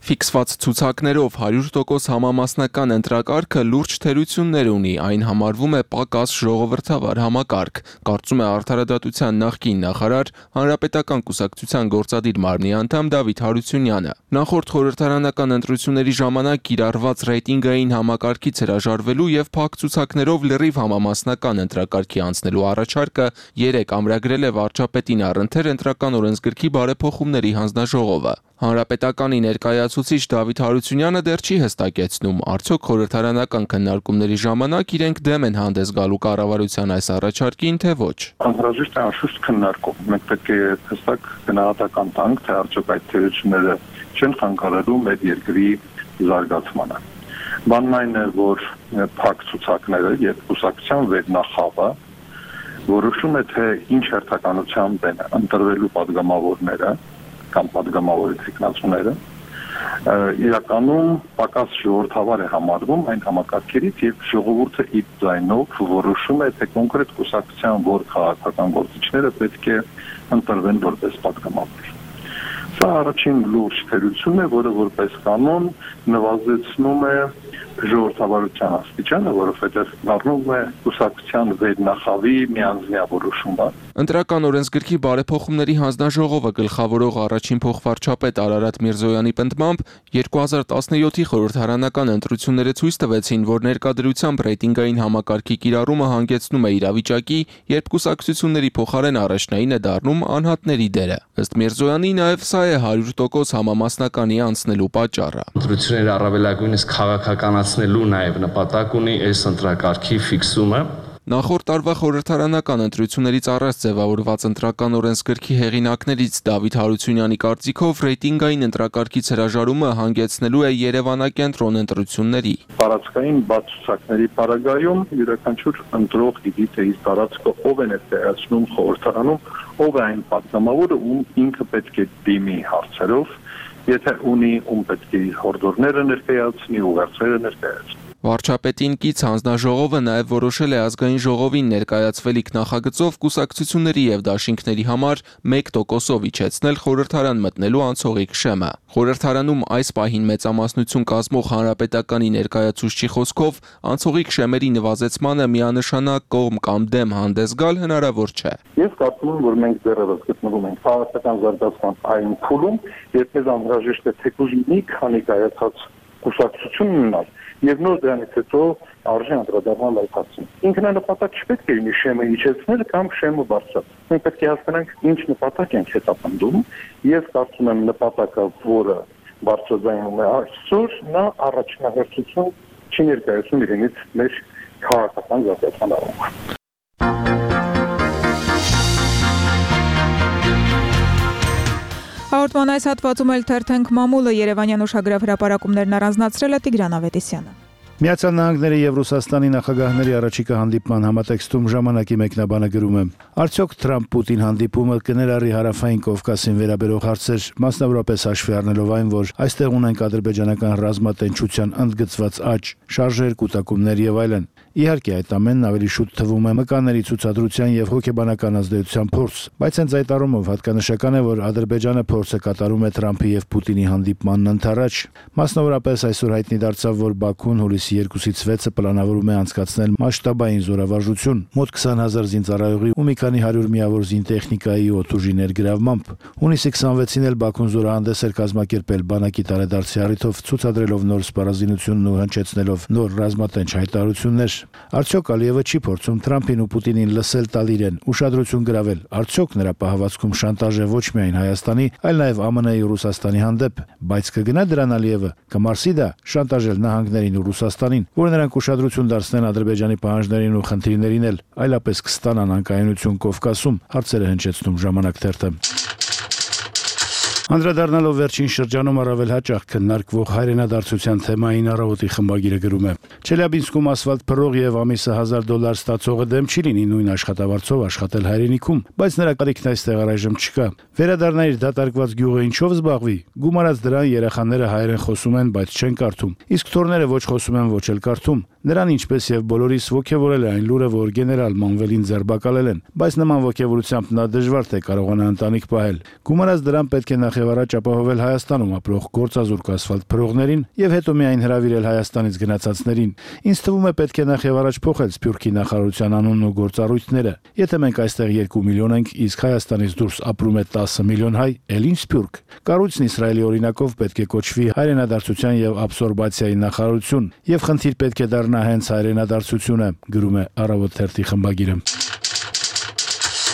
Speaker 19: Ֆիքսված ցուցակներով հարյուր տոկոս համամասնական ընտրակարգը լուրջ թերություններ ունի, այն համարվում է պակաս ժողովրդավար համակարգ, կարծում է Արդարադատության նախկին նախարար, Հանրապետական կուսակցության գործադիր մարմնի անդամ Դավիթ Հարությունյանը։ Նախորդ խորհրդարանական ընտրությունների ժամանակ կիրառված ռեյտինգային համակարգից հրաժարվելու եւ փակ ցուցակներով լրիվ համամասնական ընտրակարգի անցնելու առաջարկը երեք ամրագրել է վարչապետին առընթեր ընտրական օրենսգրքի բարեփոխումների հանձնաժողովը։ Հանրապետականի ներկայացուցիչ Դավիթ Հարությունյանը դեռ չի հստակեցնում, արդյոք խորհրդարանական քննարկումների ժամանակ իրենք դեմ են հանդես գալու կառավարության այս առաջարկին, թե ոչ։
Speaker 3: Անհրաժեշտ է անշուշտ քննարկում։ Մենք պետք է հստակ գնահատական տանք, թե արդյոք այդ թերությունները չեն խանգարելու մեր երկրի զարգացմանը։ Բանն այն է, որ փակ ցուցակները եւ կուսակցության վերնախավը որոշում է, թե ինչ հերթականությամբ են ընտրվելու падգամավորները կամ падգամավորի թեկնածուները, իրականում պակաս ժողովրդավար է համարվում այն համակարգերից եւ ժողովուրդը իր ձայնով որոշում է, թե կոնկրետ կուսակցության որ քաղաքական գործիչները պետք է ընտրվեն որպես падգամավոր։ Սա առաջին լուրջ թերությունն է, որը որպես կանոն նվազեցնում է ժողովրդավարության աստիճանը, որովհետև դառնում է կուսակցության վերնախավի միանձնյա որոշումը։
Speaker 19: Ընտրական օրենսգրքի բարեփոխումների հանձնաժողովը գլխավորող առաջին փոխվարչապետ Արարատ Միրզոյանի պնդմամբ երկու հազար տասնյոթի խորհրդարանական ընտրությունները ցույց տվեցին, որ ներկայությամբ ռեյտինգային համակարգի կիրառումը հանգեցնում է իրավիճակի, երբ կուսակցությունների փոխարեն առաջնային է դառնում անհատների դերը։ Ըստ Միրզոյանի նաև սա է հարյուր տոկոս համամասնականի անցնելու պատճառը։
Speaker 20: Ընտրությունները առավելագույնս քաղաքականացնելու նաև նպատակ ունի այս ընտրակարգի ֆիքսումը։
Speaker 19: Նախորդ տարվա խորհրդարանական ընտրություններից առաջ ձևավորված ընտրական օրենսգրքի հեղինակներից Դավիթ Հարությունյանի կարծիքով ռեյտինգային ընտրակարգից հրաժարումը հանգեցնելու է Երևանակենտրոն ընտրությունների։
Speaker 3: Տարածքային բաց ցուցակների պարագայում յուրաքանչյուր ընտրող գիտի, թե իր տարածքը ով է ներկայացնում խորհրդարանում, ով է այն պատգամավորը, ում ինքը պետք է դիմի հարցերով, եթե ունի ում պետք է իր հորդորները ներկայացնի, ուղերձները ներկայացնի։
Speaker 19: Վարչապետին կից հանձնաժողովը նաև որոշել է ազգային ժողովին ներկայացվելիք նախագծով կուսակցությունների եւ դաշինքների համար մեկ տոկոսով իջեցնել խորհրդարան մտնելու անցողիկ շեմը։ Խորհրդարանում այս պահին մեծամասնություն կազմող հանրապետականի ներկայացուցչի խոսքով անցողիկ շեմերի նվազեցմանը միանշանակ կողմ կամ դեմ հանդես գալ հնարավոր չէ։
Speaker 3: Ես կարծում եմ, որ մենք դեռևս գտնվում ենք քաղաքական զարգացման այն փուլում, երբ մեզ անհրաժեշտ է թեկուզ մի քանի կայացած կուսակցություն ունենալ եւ նոր դրանից հետո արժե անդրադառնալ այդ հարցին։ Ինքնանպատակ չպետք է լինի շեմը իջեցնել կամ շեմը բարձրացնել։ Մենք պետք է հասկանանք ինչ նպատակ ենք հետապնդում։ Ես կարծում եմ նպատակը, որը բարձրաձայնում է այսօր, նա առաջնահերթություն չի ներկայացնում իրենից մեր քաղաքական զարգացման առումով։
Speaker 4: Հաղորդման այս հատվածում էլ թերթենք մամուլը Երևանյան ուշագրավ հրապարակումներն առանձնացրել է Տիգրան Ավետիսյանը։
Speaker 18: Միացյալ Նահանգների եւ Ռուսաստանի նախագահների առաջիկա հանդիպման համատեքստում ժամանակի մեկնաբանը գրում է. Արդյոք Թրամփ-Պուտին հանդիպումը կներառի հարավային Կովկասին վերաբերող հարցեր, մասնավորապես հաշվի առնելով այն, որ այստեղ ունենք ադրբեջանական ռազմատենչության ընդգծված աճ, շարժեր, կուտակումներ եւ այլն։ Իհարկե, այդ ամենն ավելի շուտ թվում է մկանների ցուցադրության եւ հոգեբանական ազդեցության փորձ, բայց հենց այդ առումով հատկանշական է, որ Ադրբեջանը փորձը կատարում է Թրամփի եւ Պուտինի հանդիպմանն ընդառաջ։ Մասնավորապես այսօր հայտնի դարձավ, որ Բաքուն հուլիսի երկուսից վեցը պլանավորում է անցկացնել մասշտաբային զորավարժություն, մոտ քսան հազար զինծառայողի ու մի քանի հարյուր միավոր զինտեխնիկայի օդուժի ներգրավմամբ։ Հունիսի քսանվեցին էլ Բաքուն զորահանդես էր կազմակերպել բանակի տարեդարձի առիթով, ցուցադրելով նոր սպառազինությունն ու հնչեցնելով նոր ռազմատենչ հայտարարություններ։ Արդյոք Ալիևը չի փորձում Թրամփին ու Պուտինին լսել տալ իրեն, ուշադրություն գրավել։ Արդյոք նրա պահվածքում շանտաժ է ոչ միայն Հայաստանի, այլ նաև ԱՄՆ-ի ու Ռուսաստանի հանդեպ, բայց կգնա դրան Ալիևը, կմարսի դա շանտաժել նահանգներին ու Ռուսաստանին, որ նրանք ուշադրություն դարձնեն Ադրբեջանի պահանջներին ու խնդիրներին էլ, այլապես կստանան անկայունություն Կովկասում, հարցերը հնչեցնում Ժամանակ թերթը։ Անդրադառնալով վերջին շրջանում առավել հաճախ քննարկվող հայրենադարձության թեմային առավոտի խմբագիրը գրում է. Չելյաբինսկում ասֆալտ փռող եւ ամիսը հազար դոլար ստացողը դեմ չի լինի նույն աշխատավարձով աշխատել հայրենիքում, բայց նրա կարիքն այստեղ առայժմ չկա։ Վերադառնայր դատարկված գյուղը ինչով զբաղվի։ Գումարած դրան երեխաները հայերեն խոսում են, բայց չեն կարդում։ Իսկ թորները ոչ խոսում են, ոչ էլ կարդում։ Նրան ինչպես եւ բոլորիս ողջևորել է այն լուրը, որ գեներալ Մանվելին ձերբակալել են, բայց նման ողջևորությամբ նա դժվար թե կարողանա ընտանիք պահել։ Գումարած դրան պետք է նախ եւ առաջ ապահովել Հայաստանում ապրող գործազուրկ ասֆալտ փռողներին եւ հետո միայն հրավիրել Հայաստանից գնացածներին։ Ինձ թվում է պետք է նախ եւ առաջ փոխել Սփյուռքի նախարարության անունն ու գործառույթները։ Եթե մենք այստեղ երկու միլիոն ենք, իսկ Հայաստանից դուրս ապրում է տասը միլիոն հայ, ել ինչ Սփյուռք։ Կառույցն Իսրայելի օրինակով պետք է կոչվի հայրենադարձության եւ աբսորբացիայի նախարարություն, եւ խնդիր պետք է դառնա հենց հայրենադարձությունը, գրում է Առավոտ թերթի խմբագիրը։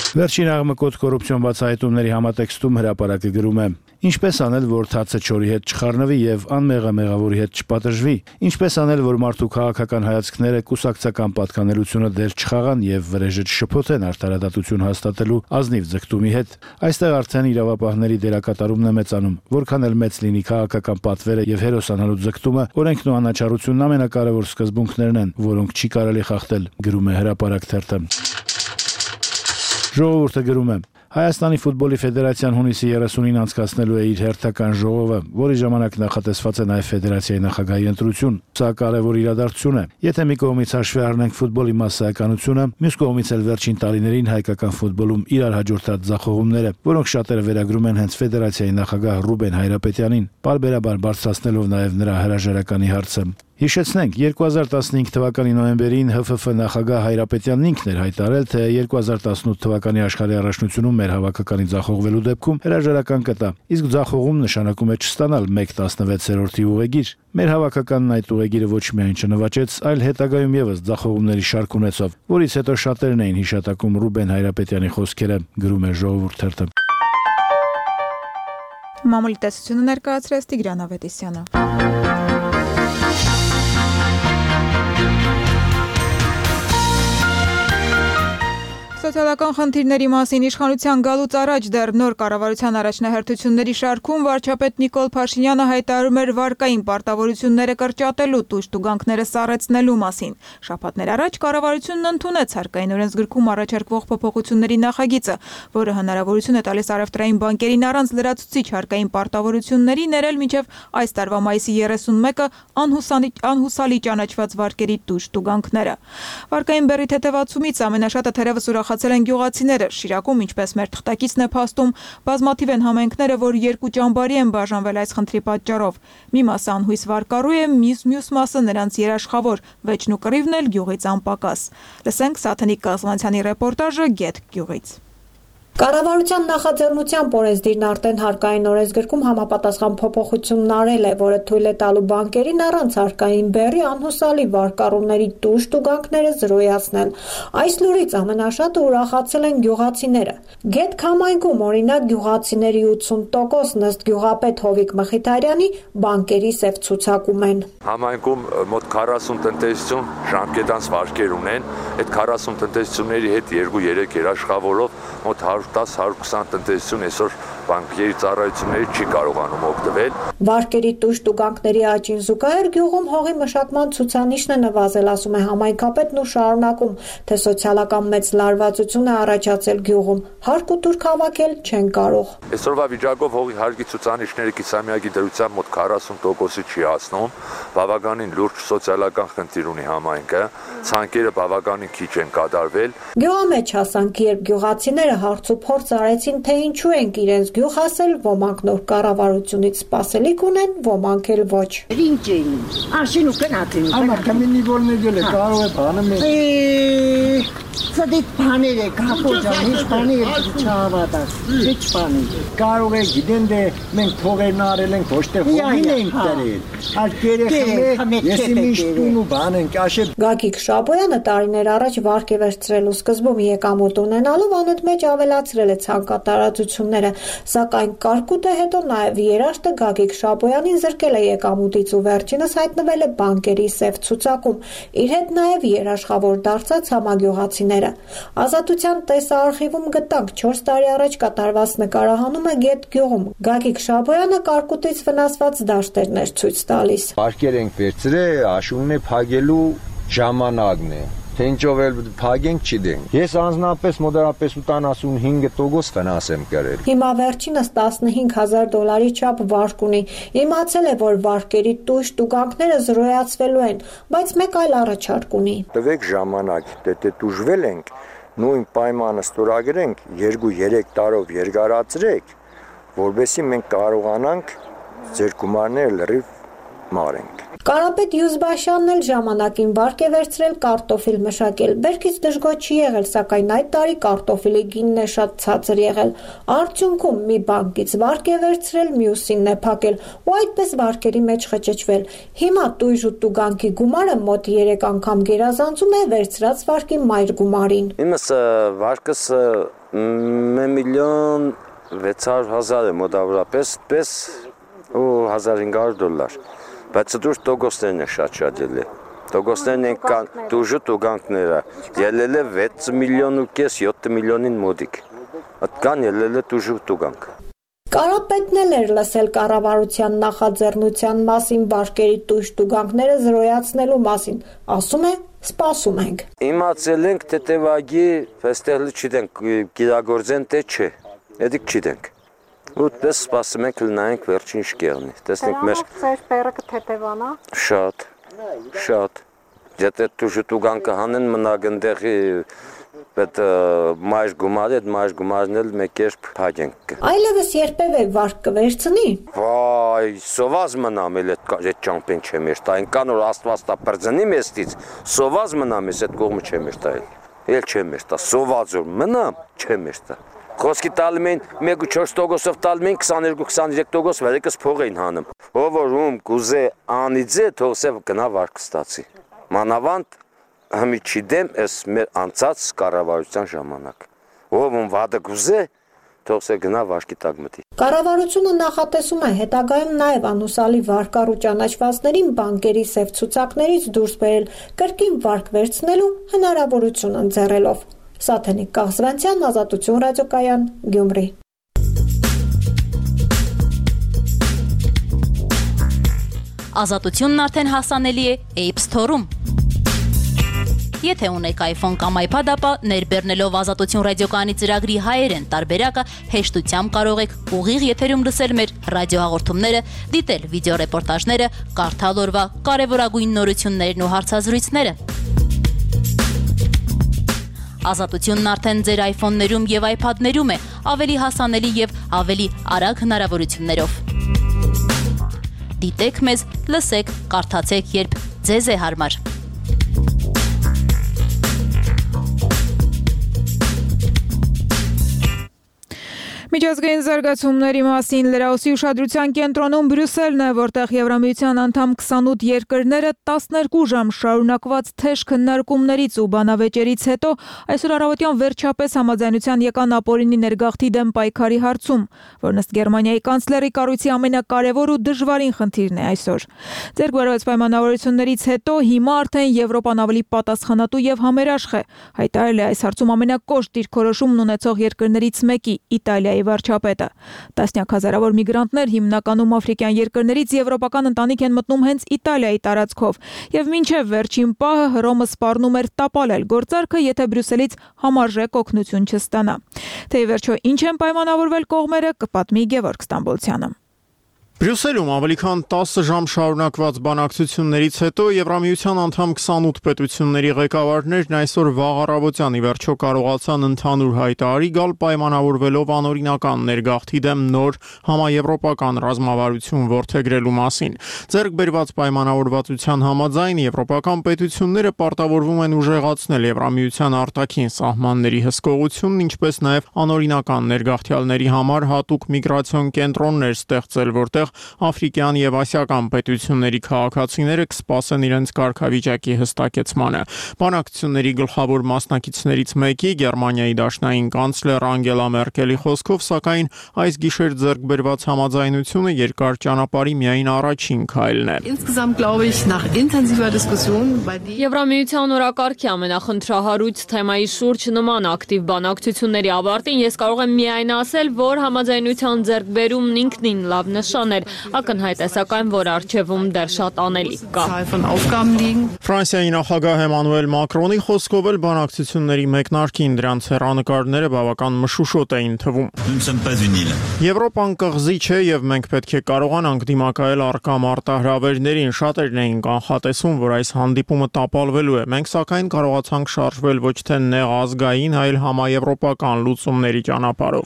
Speaker 18: Վերջին աղմկոտ կոռուպցիոն բացահայտումների համատեքստում հրապարակը գրում է. Ինչպես անել, որ թացը չորի հետ չխառնվի եւ անմեղը մեղավորի հետ չպատժվի։ Ինչպես անել, որ մարդու քաղաքական հայացքները կուսակցական պատկանելությունը դեր չխաղան եւ վրեժը չշփոթեն արդարադատություն հաստատելու ազնիվ ձգտումի հետ։ Այստեղ արդեն իրավապահների դերակատարումն է մեծանում, որքան էլ մեծ լինի քաղաքական պատվերը եւ հերոսանալու ձգտումը, օրենքն ու անաչառությունն ամենակարևոր սկզբունքներն են, որոնք չի կարելի խախտել, գրում է Հրապարակ թերթը։ Ժողովուրդը գրում է. Հայաստանի ֆուտբոլի ֆեդերացիան հունիսի երեսունին անցկացնելու է իր հերթական ժողովը, որի ժամանակ նախատեսված է նաև ֆեդերացիայի նախագահի ընտրություն։ Սա կարևոր իրադարձություն է։ Եթե մի կողմից հաշվի առնենք ֆուտբոլի մասսայականությունը, մյուս կողմից էլ վերջին տարիներին հայկական ֆուտբոլում իրար հաջորդած ձախողումները, որոնք շատերը վերագրում են հենց ֆեդերացիայի նախագահ Ռուբեն Հայրապետյանին, պարբերաբար բարձրացնելով նաև նրա հրաժարականի հարցը։ Հիշեցնենք, երկու հազար տասնհինգ թվականի նոյեմբերին Հ Ֆ Ֆ նախագահ Հայրապետյանն ինքն էր հայտարարել, թե երկու հազար տասնութ թվականի աշխարհի առաջնությունում մեր հավաքականի ձախողվելու դեպքում հրաժարական կտա, իսկ ձախողում նշանակում է չստանալ մեկ տասնվեցերորդի ուղեգիր։ Մեր հավաքականն այդ ուղեգիրը ոչ միայն չնվաճեց, այլ հետագայում եւս ձախողումների շարք ունեցավ, որից հետո շատերն էին հիշատակում Ռուբեն Հայրապետյանի խոսքերը, գրում է Ժողովուրդ թերթը։
Speaker 4: Մամուլի տեսությունը ներկայացրեց Տիգրան Ավետիսյանը։ Սոցիալական խնդիրների մասին իշխանության գալուց առաջ դեռ նոր կառավարության առաջնահերթությունների շարքում վարչապետ Նիկոլ Փաշինյանը հայտարարում էր վարկային պարտավորությունները կրճատելու, տուժտուգանքները սառեցնելու մասին։ Շաբաթներ առաջ կառավարությունն ընդունեց հարկային օրենսգրքում առաջարկվող փոփոխությունների նախագիծը, որը հնարավորություն է տալիս առևտրային բանկերին առանց լրացուցիչ հարկային պարտավորությունների ներել մինչև այս տարվա մայիսի երեսունմեկը անհուսալի, անհուսալի ճանաչված վարկերի տուժտուգանքները։ Վարկային բեռի թեթևացումից ամենաշատը թերևս ուրախացել են գյուղացիները։ Շիրակում, ինչպես մեր թղթակիցն է փաստում, բազմաթիվ են համայնքները, որ երկու ճամբարի են բաժանվել այս խնդրի պատճառով։ Մի մասը անհույս վարկառու է, մյուս մյուս մասը նրանց երաշխավոր, վեճն ու կռիվն էլ գյուղից անպակաս։ Լսենք Սաթենիկ Կազմանցյանի ռեպորտաժը Գետ գյուղից։
Speaker 21: Կառավարության նախաձեռնությամբ օրենսդիրն արդեն հարկային օրենսգրքում համապատասխան փոփոխությունն արել է, որը թույլ է տալու բանկերին առանց հարկային բեռի անհուսալի վարկառուների տուժտուգանքները զրոյացնել։ Այս լուրից ամենաշատը ուրախացել են գյուղացիները։ Գետ համայնքում, օրինակ, գյուղացիների ութսուն տոկոսն ըստ գյուղապետ Հովիկ Մխիթարյանի բանկերի սև ցուցակում են։
Speaker 22: Համայնքում մոտ քառասուն տնտեսություն ժամկետանց վարկեր ունեն, այդ քառասուն տնտեսությունների հետ երկու երեք երաշխավորով մոտ հարյուր տասը հարյուր քսան տնտեսություն այսօր բանկերի ծառայությունների չի կարողանում օգտվել։
Speaker 21: Վարկերի տուժտուգանքների աճին զուգահեռ գյուղում հողի մշակման ցուցանիշն է նվազել, ասում է համայնքապետն ու շարունակում, թե սոցիալական մեծ լարվածություն է առաջացել գյուղում, հարկ ու թուրք հավաքել չեն կարող։
Speaker 22: Այսօրվա վիճակով հողի հարկի ցուցանիշները կիսամյակի դրությամբ մոտ քառասուն տոկոսի չի հասնում, բավականին լուրջ սոցիալական խնդիր ունի համայնքը, ցանկերը բավականին քիչ են կատարվել։
Speaker 21: Գյուղամեջ հասանք, երբ գյուղացիները հարց ու փորձ արեցին, թե ինչու են իրենց գյուղ հասել, ոմանք նոր կառավարությունից սպասելիք ունեն, ոմանք էլ ոչ։
Speaker 23: Ինչ էին, արշին ու կնացին։
Speaker 24: Ամա կամինի որնեգել է, կարող է բանը մեզ։
Speaker 23: Սադիտ բաներ է, կապոջան, հիչ բանի է չհավատաս, հիչ բանի։
Speaker 24: Կարող է գիտեն դե մենք փողերն արել ենք, ոչ թե հողին ենք դրել։ Այդ երեխան է, ես միշտ տուն ու բան ենք, աշե։
Speaker 21: Գագիկ Շաբոյանը տարիներ առաջ վարկ է վերցրել ու սկզբում եկամուտ ունենալով անընդմեջ ավելացրել է ցանկատարածությունները, սակայն կարկուտը հետո նաև երաշտը Գագիկ Շաբոյանին զրկել է եկամուտից ու վերջինս հայտնվել է բանկերի սև ցուցակում։ Իր հետ նաև երաշխավոր դարձած համագյուղացիները։ Ազատության տեսարխիվում գտանք չորս տարի առաջ կատարված նկարահանումը Գետ գյուղում։ Գագիկ Շաբոյանը կարկուտից վնասված դաշտերներ ցույց տալիս։
Speaker 24: Վարկեր ենք վերցրել, աշունն է փագելու ժամանակն է։ Թե ինչով էլ փագենք չդենք։ Ես անձնապես մոտավորապես ութանասունհինգ տոկոս վնաս եմ կրել։
Speaker 21: Հիմա վերջինս տասնհինգ հազար դոլարի չափ վարկ ունի։ Իմացել է, որ վարկերի տույժ տուգանքները զրոյացվելու են, բայց մեկ այլ առաջարկ ունի։
Speaker 24: Տվեք ժամանակ, դե տուժվել ենք, նույն պայմանը ստորագրենք, երկու-երեք տարով երկարացրեք, որովհետեւ մենք կարողանանք ձեր գումարները լրիվ մարենք։
Speaker 21: Կարապետ Յուզբաշյանն էլ ժամանակին վարկ է վերցրել կարտոֆիլ մշակել։ Բերքից դժգոհ չի եղել, սակայն այդ տարի կարտոֆիլի գինն է շատ ցածր եղել։ Արդյունքում մի բանկից վարկ է վերցրել, մյուսինն է փակել ու այդպես վարկերի մեջ խճճվել։ Հիմա տույժ ու տուգանքի գումարը մոտ երեք անգամ գերազանցում է վերցրած վարկի մայր գումարին։
Speaker 24: Իմս վարկս մի միլիոն
Speaker 1: վեց հարյուր հազար է մոտավորապես, պես ու հազար հինգ հարյուր դոլար։ Բայց դուր տոկոսներն է շատ շատ ելել։ Տոկոսներն են կան դուժու տուգանքները, ելել է վեց միլիոն ու կես յոթ միլիոնին մոտիկ։ Այդ կան ելել է դուժու տուգանք։
Speaker 21: Կարապետն էլ էր լսել կառավարության նախաձեռնության մասին վարկերի տույժ տուգանքները զրոյացնելու մասին, ասում է սպասում ենք։
Speaker 1: Իմացել ենք թե տևագի այստեղ չգիտենք գիրագործեն թե չէ, էդիկ չգիտենք։ Ուտպես սպասում ենք լնայինք վերջին ինչ կեղնի։ Տեսնենք մեր
Speaker 21: ձեր բերը կթեթևանա։
Speaker 1: Շատ, շատ։ Եթե դուժու տուգանքը հանեն մնակ ընդեղի Պետ մայր գումարը, այդ մայր գումարն էլ մեկ երբ փակենք։
Speaker 21: Այլևս երբևէ վարկ կվերցնի։
Speaker 1: Վայ, սոված մնամ էլ այդ ճամփեն չեմ երթա, այնքան որ Աստված տա բրձնի մեստից, սոված մնամ ես այդ կողմը չեմ երթա էլ։ Էլ չեմ երթա, սոված որ մնամ, չեմ երթա։ Խոսքի տալում էին մեկ ու չորս տոկոսով տալում էին քսաներկու քսաներեք տոկոս վերեկս փող էին հանում։ Ով որ ում կուզե անիձե թողսև գնա վարկ ստացի։ Մանավանդ Համի չիդեմ ես մեր անցած կառավարության ժամանակ։ Ով ում վադը գուզե, թողսե գնա վարկի տակ մտի։
Speaker 21: Կառավարությունը նախատեսում է հետագայում նաև անուսալի վարկառու ճանաչվածներին բանկերի սև ցուցակներից դուրս բերել, կրկին վարկ վերցնելու հնարավորություն ընձեռելով։ Սաթենիկ Կաղզվանցյան, Ազատություն ռադիոկայան, Գյումրի։
Speaker 5: Ազատությունն արդեն հասանելի է App Store-ում։ Եթե ունեք iPhone կամ iPad, ապա ներբեռնելով Ազատություն ռադիոկայանի ծրագրի հայերեն տարբերակը հեշտությամբ կարող եք ուղիղ եթերում լսել մեր ռադիոհաղորդումները, դիտել վիդեոռեպորտաժները, կարդալ օրվա կարևորագույն նորություններն ու հարցազրույցները։ Ազատությունն արդեն ձեր iPhone-ներում եւ iPad-ներում է, ավելի հասանելի եւ ավելի արագ հնարավորություններով։ Դիտեք մեզ, լսեք, կարդացեք, երբ ձեզ է հարմար։
Speaker 4: Միջազգային զարգացումների մասին լրահոսի ուշադրության կենտրոնում Բրյուսելն է, որտեղ Եվրամիության անդամ քսանութ երկրները տասներկու ժամ շարունակված թեժ քննարկումներից ու բանավեճերից հետո այսօր առավոտյան վերջապես համաձայնության եկան ապօրինի ներգաղթի դեմ պայքարի հարցում, որն ըստ Գերմանիայի կանցլերի կառույցի ամենակարևոր ու դժվարին խնդիրն է այսօր։ Ձեռք բերված պայմանավորություններից հետո հիմա արդեն Եվրոպան ավելի պատասխանատու եւ համերաշխ է, հայտարարել է այս հարցում ամենակոշտ դիրքորոշումն ունեցող երկրներից մեկի՝ Իտալիայի վարչապետը։ Տասնյակ հազարավոր միգրանտներ հիմնականում աֆրիկյան երկրներից եվրոպական ընտանիք են մտնում հենց Իտալիայի տարածքով, եւ մինչեւ վերջին պահը Հռոմը սպառնում էր տապալել գործարքը, եթե Բրյուսելից համարժեք օգնություն չստանա։ Թե ի վերջո ինչ են պայմանավորվել կողմերը, կպատմի Գևորգ Ստամբոլցյանը։
Speaker 6: Բրյուսելում ավելի քան տասը ժամ շարունակված բանակցություններից հետո Եվրամիության անդամ քսանութ պետությունների ղեկավարներն այսօր վաղ առավոտյան ի վերջո կարողացան ընդհանուր հայտարարի գալ պայմանավորվելով անօրինական ներգաղթի դեմ նոր համաեվրոպական ռազմավարություն որդեգրելու մասին։ Ձեռք բերված պայմանավորվածության համաձայն եվրոպական պետությունները պարտավորվում են ուժեղացնել Եվրամիության արտաքին սահմանների հսկողությունն, ինչպես նաև անօրինական ներգաղթյալների համար հատուկ միգրացիոն կենտրոններ ստեղծել, որտեղ աֆրիկյան եւ ասիական պետությունների քաղաքացիները կսպասեն իրենց կարգավիճակի հստակեցմանը։ Բանակցությունների գլխավոր մասնակիցներից մեկի Գերմանիայի դաշնային կանցլեր Անգելա Մերկելի խոսքով, սակայն այս գիշեր ձեռք բերված համաձայնությունը երկար ճանապարհի միայն առաջին քայլն է։
Speaker 8: Եվրամիության օրակարգի ամենախնդրահարույց թեմայի շուրջ նման ակտիվ բանակցությունների ավարտին ես կարող եմ միայն ասել, որ համաձայնության ձեռքբերումն ինքնին լավ նշան էր, ակնհայտ է սակայն, որ առջևում դեռ շատ անելիք կա։
Speaker 6: Ֆրանսիայի նախագահ Էմանուել Մակրոնի խոսքով էլ բանակցությունների մեկնարկին դրանց հեռանկարները բավական մշուշոտ էին թվում։ Եվրոպան կղզի չէ եւ մենք պետք է կարողանանք դիմակայել առկա մարտահրավերներին, շատերն էին կանխատեսում, որ այս հանդիպումը տապալվելու է։ Մենք սակայն կարողացանք շարժվել ոչ թե նեղ ազգային, այլ համաեվրոպական լուծումների ճանապարհով։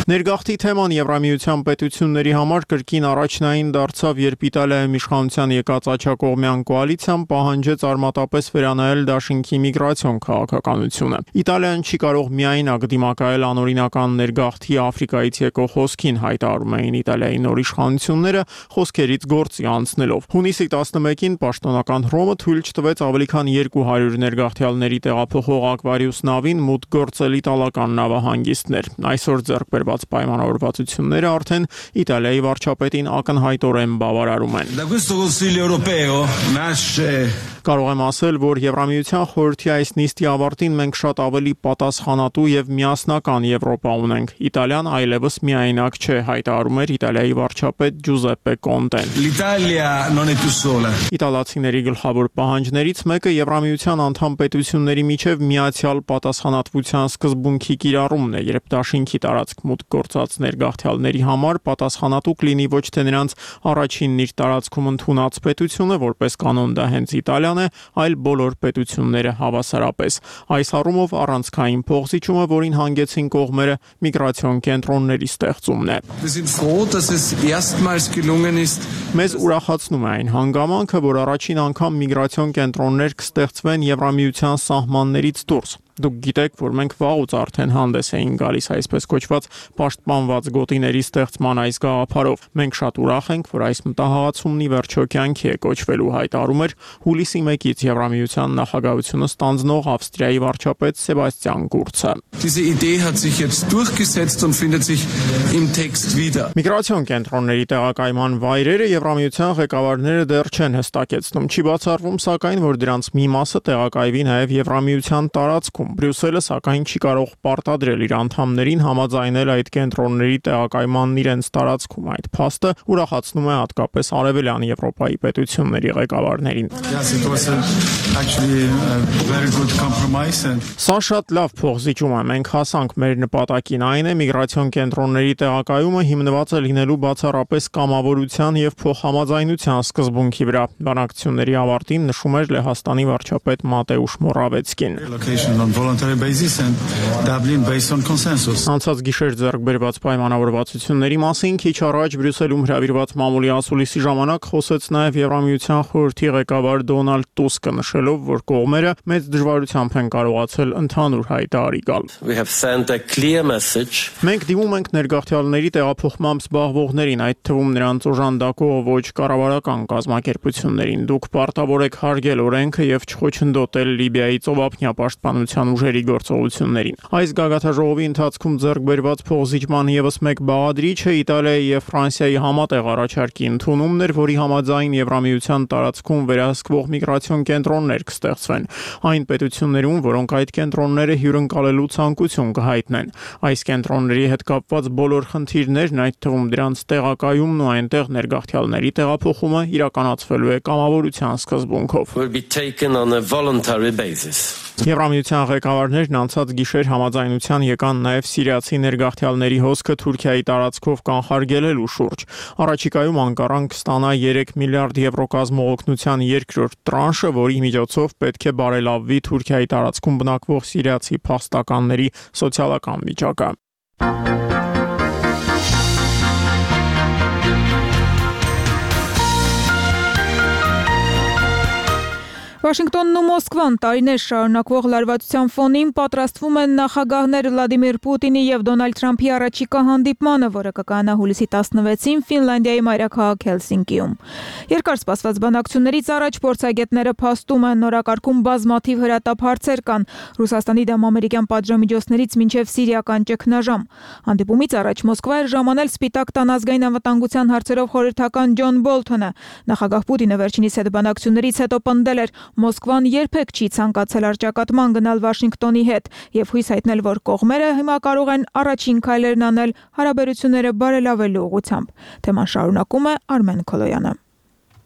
Speaker 6: Ներգաղթի թեման Եվրամիության պետությունների համար կրկին առաջնային դարձավ, երբ Իտալիայում իշխանության եկած աջակողմյան կոալիցիան պահանջեց արմատապես վերանայել դաշինքի միգրացիոն քաղաքականությունը։ Իտալիան չի կարող միայնակ դիմակայել անօրինական ներգաղթի Աֆրիկայից եկող հոսքին, հայտարարում էին Իտալիայի նոր իշխանությունները խոսքերից գործի անցնելով։ Հունիսի տասնմեկին պաշտոնական Հռոմը թույլ չտվեց ավելի քան երկու հարյուր ներգաղթյալների տեղափոխող Ակվարիուս նավին մուտք գործել իտալական նավահանգիստներ։ Այսօր ձեռք բերված պայմանավորվածությունները արդեն Իտալիայի վարչապետին ակնհայտորեն բավարարում են։ Կարող եմ ասել, որ Եվրամիության խորհրդի այս նիստի ավարտին մենք շատ ավելի պատասխանատու եւ միասնական Եվրոպա ունենք։ Իտալիան այլևս միայնակ չէ, հայտարարում էր Իտալիայի վարչապետ Ջուզեպպե Կոնտեն։ Իտալացիների գլխավոր պահանջներից մեկը Եվրամիության անդամ պետությունների միջև միացյալ պատասխանատվության սկզբունքի կիրառումն է, երբ դաշինքի տարածք մուտք գործած ներգաղթյալների համար պատասխանատու կլինի ոչ թե նրանց առաջինն իր տարածքում ընդունած պետությունը, որպես կանոն դա հենց Իտալիան է, այլ բոլոր պետությունները հավասարապես։ Այս առումով առանցքային փոխզիջումը, որին հանգեցին կողմերը, միգրացիոն կենտրոնների ստեղծումն է։ Մեզ ուրախացնում է այն հանգամանքը, որ առաջին անգամ միգրացիոն կենտրոններ կստեղծվեն Եվրամիության սահմաններից դուրս։ Դուք գիտեք, որ մենք վաղուց արդեն հանդես էին գալիս այսպես կոչված պաշտպանված գոտիների ստեղծման այս գաղափարով։ Մենք շատ ուրախ ենք, որ այս մտահղացումն ի վերջո կյանքի է կոչվելու, հայտարարում էր հուլիսի մեկից Եվրամիության նախագահությունը ստանձնող Ավստրիայի վարչապետ Սեբաստիան Կուրցը։ Միգրացիոն կենտրոնների տեղակայման վայրերը Եվրամիության ղեկավարները դեռ չեն հստակեցնում։ Չի բացառվում, սակայն, որ դրանց մի մասը տեղակայվի նաև Եվրամիության տարածքում։ Բրյուսելը սակայն չի կարող պարտադրել իր անդամներին համաձայնել այդ կենտրոնների տեղակայմանն իրենց տարածքում։ Այդ փաստը ուրախացնում է հատկապես արևելյան Եվրոպայի պետությունների ղեկավարներին։ Սա շատ լավ փոխզիջում է։ Մենք հասանք մեր նպատակին, այն է միգրացիոն կենտրոնների տեղակայումը հիմնված է լինելու բացառապես կամավորության եւ փոխհամաձայնության սկզբունքի վրա։ Բանակցությունների ավարտին նշում էր Լեհաստանի վարչապետ Մատեուշ Մորավեցկին։ Անցած գիշեր ձեռք բերված պայմանավորվածությունների մասին քիչ առաջ Բրյուսելում հրավիրված մամուլի ասուլիսի ժամանակ խոսեց նաև Եվրամիության խորհրդի ղեկավար Դոնալդ Տուսկը, նշելով, որ կողմերը մեծ դժվարությամբ են կարողացել ընդհանուր հայտարարի գալ։ Մենք դիմում ենք ներգաղթյալների տեղափոխմամբ զբաղվողներին, այդ թվում նրանց օժանդակող ոչ կառավարական կազմակերպություններին։ Դուք պարտավոր եք հարգել օրենքը եւ չխոչընդոտել Լիբիայի ծովափնյա պաշտպանության ուժերի գործողություններին։ Այս գագաթաժողովի ընթացքում ձեռք բերված փոխզիջման եւս մեկ բաղադրիչը Իտալիայի եւ Ֆրանսիայի համատեղ առաջարկի ընդունումն էր, որի համաձայն Եվրամիության տարածքում վերահսկվող միգրացիոն կենտրոններ կստեղծվեն այն պետություններում, որոնք այդ կենտրոնները հյուրընկալելու ցանկություն կհայտնեն։ Այս կենտրոնների հետ կապված բոլոր խնդիրներն, այդ թվում դրանց տեղակայումն ու այնտեղ ներգաղթյալների տեղափոխումը իրականացվելու է կամավորության սկզբունքով։ Եվրամիության ղեկավարներն անցած գիշեր համաձայնության եկան նաև սիրիացի ներգաղթյալների հոսքը Թուրքիայի տարածքով կանխարգելելու շուրջ։ Առաջիկայում Անկարան կստանա երեք միլիարդ եվրո կազմող օգնության երկրորդ տրանշը, որի միջոցով պետք է բարելավվի Թուրքիայի տարածքում բնակվող սիրիացի փախստականների սոցիալական վիճակը։
Speaker 4: Վաշինգտոնն ու Մոսկվան տարիներ շարունակվող լարվածության ֆոնին պատրաստվում են նախագահներ Վլադիմիր Պուտինի եւ Դոնալդ Թրամփի առաջիկա հանդիպմանը, որը կկայանա հուլիսի տասնվեցին Ֆինլանդիայի մայրաքաղաք Հելսինկիում։ Երկար սպասված բանակցություններից առաջ փորձագետները փաստում են նորակարգում բազմաթիվ հրատապ հարցեր կան Ռուսաստանի դեմ ամերիկյան պատժամիջոցներից մինչև սիրիական ճգնաժամ։ Հանդիպումից առաջ Մոսկվա էր ժամանել Սպիտակ տան ազգային անվտանգության հարցերով խորհրդական Ջոն Բոլթոնը։ Նախագահ Պուտինը վերջինիս հետ բանակցություններից հետո պնդել էր, Մոսկվան երբեք չի ցանկացել առճակատման գնալ Վաշինգտոնի հետ եւ հույս հայտնել, որ կողմերը հիմա կարող են առաջին քայլերն անել հարաբերությունները բարելավելու ուղղությամբ։ Թեման շարունակում է Արմեն Քոլոյանը։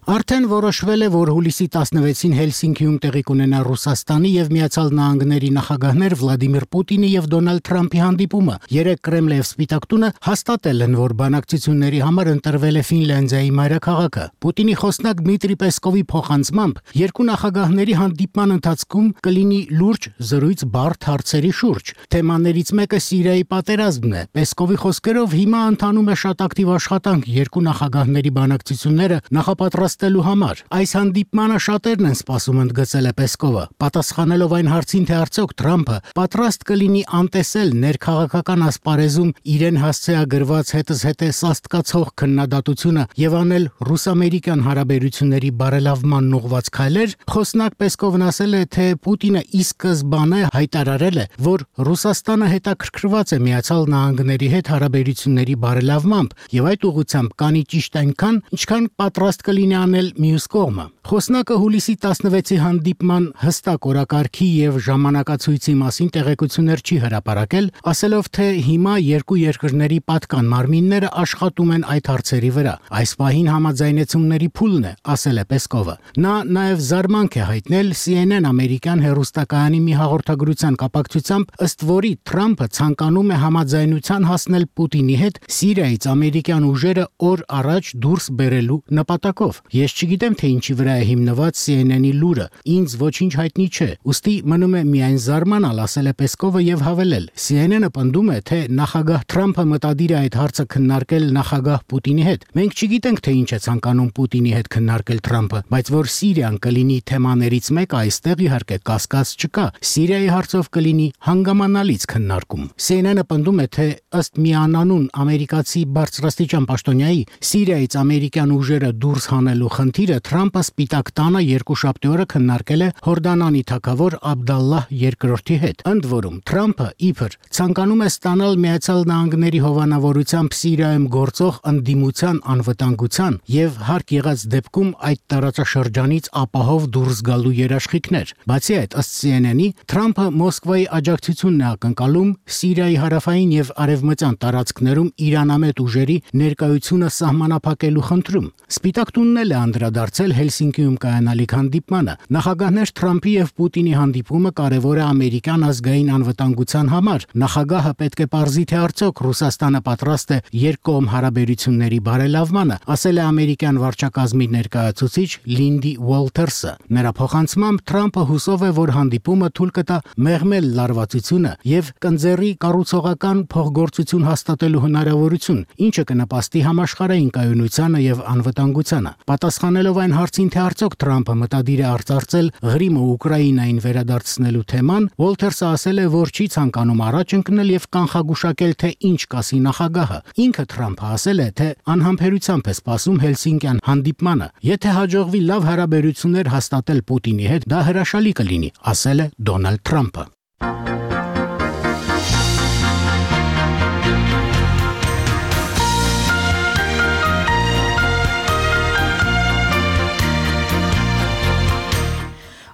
Speaker 2: Արդեն որոշվել է, որ հուլիսի տասնվեցին Հելսինկիում տեղի կունենա Ռուսաստանի եւ Միացյալ Նահանգների նախագահներ Վլադիմիր Պուտինի եւ Դոնալդ Թրամփի հանդիպումը։ Երեք Կրեմլը եւ Սպիտակ տունը հաստատել են, որ բանակցությունների համար ընտրվել է Ֆինլանդիայի մայրաքաղաքը։ Պուտինի խոսնակ Դմիտրի Պեսկովի փոխանցմամբ երկու նախագահների հանդիպման ընթացքում կլինի լուրջ զրույց բարդ հարցերի շուրջ։ Թեմաներից մեկը Սիրիայի պատերազմն է։ Պեսկովի խոսքերով հիմա ընթանում է շատ ակտիվ աշխատանք երկու նախագահների բանակցությունները նախապատրաստելու համար։ Այս հանդիպմանը շատերն են սպասում, ընդգծել է Պեսկովը, պատասխանելով այն հարցին, թե արդյոք Թրամփը պատրաստ կլինի անտեսել ներքաղաքական ասպարեզում իրեն հասցեագրված հետզհետե սաստկացող քննադատությունը եւ անել ռուս-ամերիկյան հարաբերությունների բարելավման ուղղված քայլեր։ Խոսնակ Պեսկովն ասել է, թե Պուտինը ի սկզբանե հայտարարել է, որ Ռուսաստանը հետաքրքրված է Միացյալ Նահանգների հետ հարաբերությունների բարելավմամբ եւ այդ ուղղությամբ կանի ճիշտ այնքան, ինչքան պատրաստ կլինի անել մյուս կողմը։ Խոսնակը հուլիսի տասնվեցի հանդիպման հստակ օրակարգի եւ ժամանակացույցի մասին տեղեկություններ չի հրապարակել, ասելով, թե հիմա երկու երկրների պատկան մարմինները աշխատում են այդ հարցերի վրա։ Այս պահին համաձայնեցումների փուլն է, ասել է Պեսկովը։ Նա նաեւ զարմանք է հայտնել C N N ամերիկյան հեռուստակայանի մի հաղորդագրության կապակցությամբ, ըստ որի Թրամփը ցանկանում է համաձայնության հասնել Պուտինի հետ Սիրիայից ամերիկյան ուժերը օր առաջ դուրս բերելու նպատակով։ Ես չգիտեմ, թե ինչի վրա է հիմնված C N N-ի լուրը, ինձ ոչինչ հայտնի չէ։ Ուստի մնում է միայն զարմանալ, ասել է Պեսկովը եւ հավելել. C N N-ը պնդում է, թե նախագահ Թրամփը մտադիր է այդ հարցը քննարկել նախագահ Պուտինի հետ։ Մենք չգիտենք, թե ինչ է ցանկանում Պուտինի հետ քննարկել Թրամփը, բայց որ Սիրիան կլինի թեմաներից մեկը, այստեղ իհարկե կասկած չկա։ Սիրիայի հարցով կլինի հանգամանալից քննարկում։ C N N-ը պնդում է, թե ըստ միանանուն ամերիկացի բարձրաստիճան պաշտոնյայի Սիրիայից ամերիկյան ուժերը դուրս հանելու խնդիրը Թրամփը Սպիտակ տանը երկուշաբթի օրը քննարկել է Հորդանանի թագավոր Աբդալլահ երկրորդի հետ։ Ընդ որում Թրամփը իբր ցանկանում է ստանալ Միացյալ Նահանգների հովանավորությամբ Սիրիայում գործող ընդդիմության անվտանգության եւ հարկ եղած դեպքում այդ տարածաշրջանից ապահով դուրս գալու երաշխիքներ։ Բացի այդ, ըստ C N N-ի, Թրամփը Մոսկվայի աջակցությունն է ակնկալում Սիրիայի հարավային եւ արևմտյան տարածքներում իրանամետ ուժերի ներկայությունը սահմանափակելու խնդրում։ Սպիտակ տունն էլ է անդրադարձել Հելսինկիում կայանալիք հանդիպմանը։ Նախագահներ Թրամփի եւ Պուտինի հանդիպումը կարևոր է ամերիկյան ազգային անվտանգության համար։ Նախագահը պետք է պարզի, թե արդյոք Ռուսաստանը պատրաստ է երկկողմ հարաբերությունների բարելավմանը, ասել է ամերիկյան վարչակազմի ներկայացուցիչ Լինդի Ուոլթերսը։ Նրա փոխանցմամբ Թրամփը հուսով է, որ հանդիպումը թույլ կտա մեղմել լարվածությունը եւ կընձեռի կառուցողական փոխգործություն հաստատելու հնարավորություն, ինչը կնպաստի համաշխարհային կայունությանը եւ անվտանգությանը։ Պատասխանելով այն հարցին, թե արդյոք Թրամփը մտադիր է արծարծել Ղրիմը Ուկրաինային վերադարձնելու թեման, Ուոլթերսը ասել է, որ չի ցանկանում առաջ ընկնել եւ կանխագուշակել, թե ինչ կասի նախագահը։ Ինքը Թրամփը ասել է, թե անհամբերությամբ է սպասում Հելսինկյան հանդիպմանը։ Եթե հաջողվի լավ հարաբերություններ հաստատել Պուտինի հետ, դա հրաշալի կլինի, ասել է Դոնալդ Թրամփը։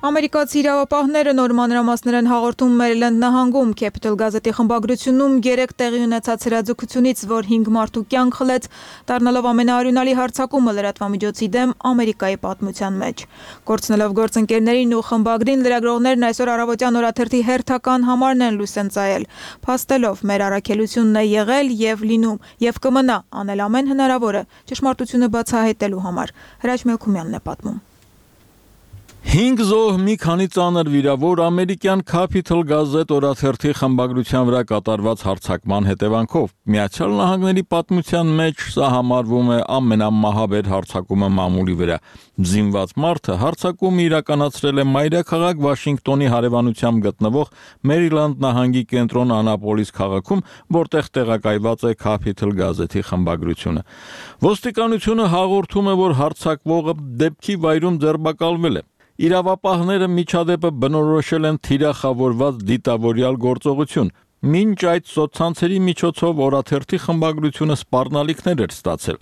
Speaker 4: Ամերիկացի իրավապահները նոր մանրամասներ են հաղորդում Մերիլենդ նահանգում Capital գազետի խմբագրությունում երեք տեղի ունեցած հրաձգությունից, որ հինգ մարդու կյանք խլեց, դառնալով ամենաարյունալի հարձակումը լրատվամիջոցի դեմ Ամերիկայի պատմության մեջ։ Կորցնելով գործընկերներին ու խմբագրին, լրագրողներն այսօր առավոտյան օրաթերթի հերթական համարն են լույս են ծայել, փաստելով մեր առաքելությունն է եղել եւ լինում եւ կմնա անել ամեն հնարավորը ճշմարտությունը բացահայտելու համար։ Հրաչ Մելքումյանն է պատմում։
Speaker 7: Հինգ զոհ, մի քանի ծանր վիրավոր ամերիկյան Capital գազետ օրաթերթի խմբագրության վրա կատարված հարձակման հետևանքով Միացյալ Նահանգների պատմության մեջ սա համարվում է ամենամահաբեր հարձակումը մամուլի վրա։ Զինված մարդը հարձակումը իրականացրել է մայրաքաղաք Վաշինգտոնի հարևանությամբ գտնվող Մերիլանդ նահանգի կենտրոն Անապոլիս քաղաքում, որտեղ տեղակայված է Capital գազետի խմբագրությունը։ Ոստիկանությունը հաղորդում է, որ հարձակվողը դեպքի վայրում ձերբակալվել է։ Իրավապահները միջադեպը բնորոշել են թիրախավորված դիտավորյալ գործողություն, Մինչ այդ սոցցանցերի միջոցով օրաթերթի խմբագրությունը սպառնալիքներ էր ստացել։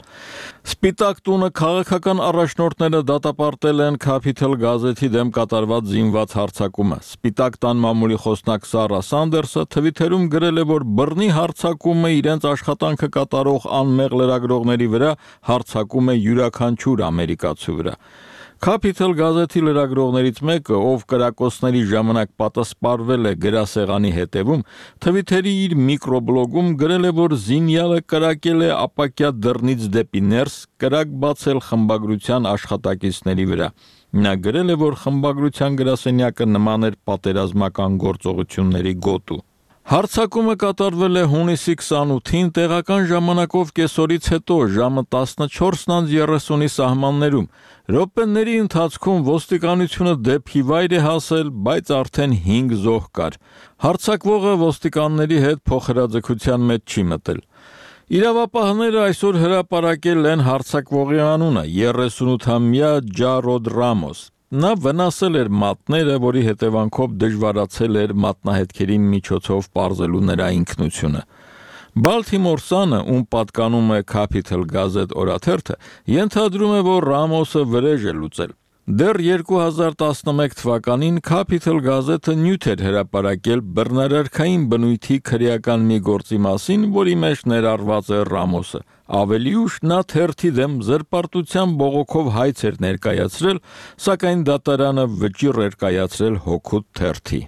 Speaker 7: Սպիտակ տունը քաղաքական առաջնորդները դատապարտել են Capital գազեթի դեմ կատարված զինված հարձակումը։ Սպիտակ տան մամուլի խոսնակ Սարա Սանդերսը Թվիթերում գրել է, որ բռնի հարձակումը իրենց աշխատանքը կատարող անմեղ լրագրողների վրա հարձակում է յուրաքանչյուր ամերիկացու վրա։ Capital գազեթի լրագրողներից մեկը, ով կրակոցների ժամանակ պատասպարվել է գրասեղանի հետևում, Թվիթերի իր միկրոբլոգում գրել է, որ զինյալը կրակել է ապակյա դռնից դեպի ներս, կրակ բացել խմբագրության աշխատակիցների վրա։ Նա գրել է, որ խմբագրության գրասենյակը նման էր պատերազմական գործողությունների գոտու։ Հարձակումը կատարվել է հունիսի քսանութին տեղական ժամանակով կեսօրից հետո ժամը տասնչորսն երեսունի սահմաններում։ Րոպեների ընթացքում ոստիկանությունը դեպքի վայր է հասել, բայց արդեն հինգ զոհ կար։ Հարձակվողը ոստիկանների հետ փոխհրաձգության մեջ չի մտել։ Իրավապահները այսօր հրապարակել են հարձակվողի անունը՝ երեսունութամյա Ջարոդ Ռամոս։ Նա վնասել էր մատները, որի հետևանքով դժվարացել էր մատնահետքերի միջոցով պարզելու նրա ինքնությունը։ Baltimore Sun-ը, ում պատկանում է Capital Gazette օրաթերթը, ենթադրում է, որ Ռամոսը վրեժ է լուծել։ Դեռ երկու հազար տասնմեկ թվականին Capital Gazette-ը նյութ էր հրապարակել բռնարարքային բնույթի քրեական մի գործի մասին, որի մեջ ներառված է Ռամոսը։ Ավելի ուշ նա թերթի դեմ զրպարտության բողոքով հայց էր ներկայացրել, սակայն դատարանը վճիռ էր կայացրել հօգուտ թերթի։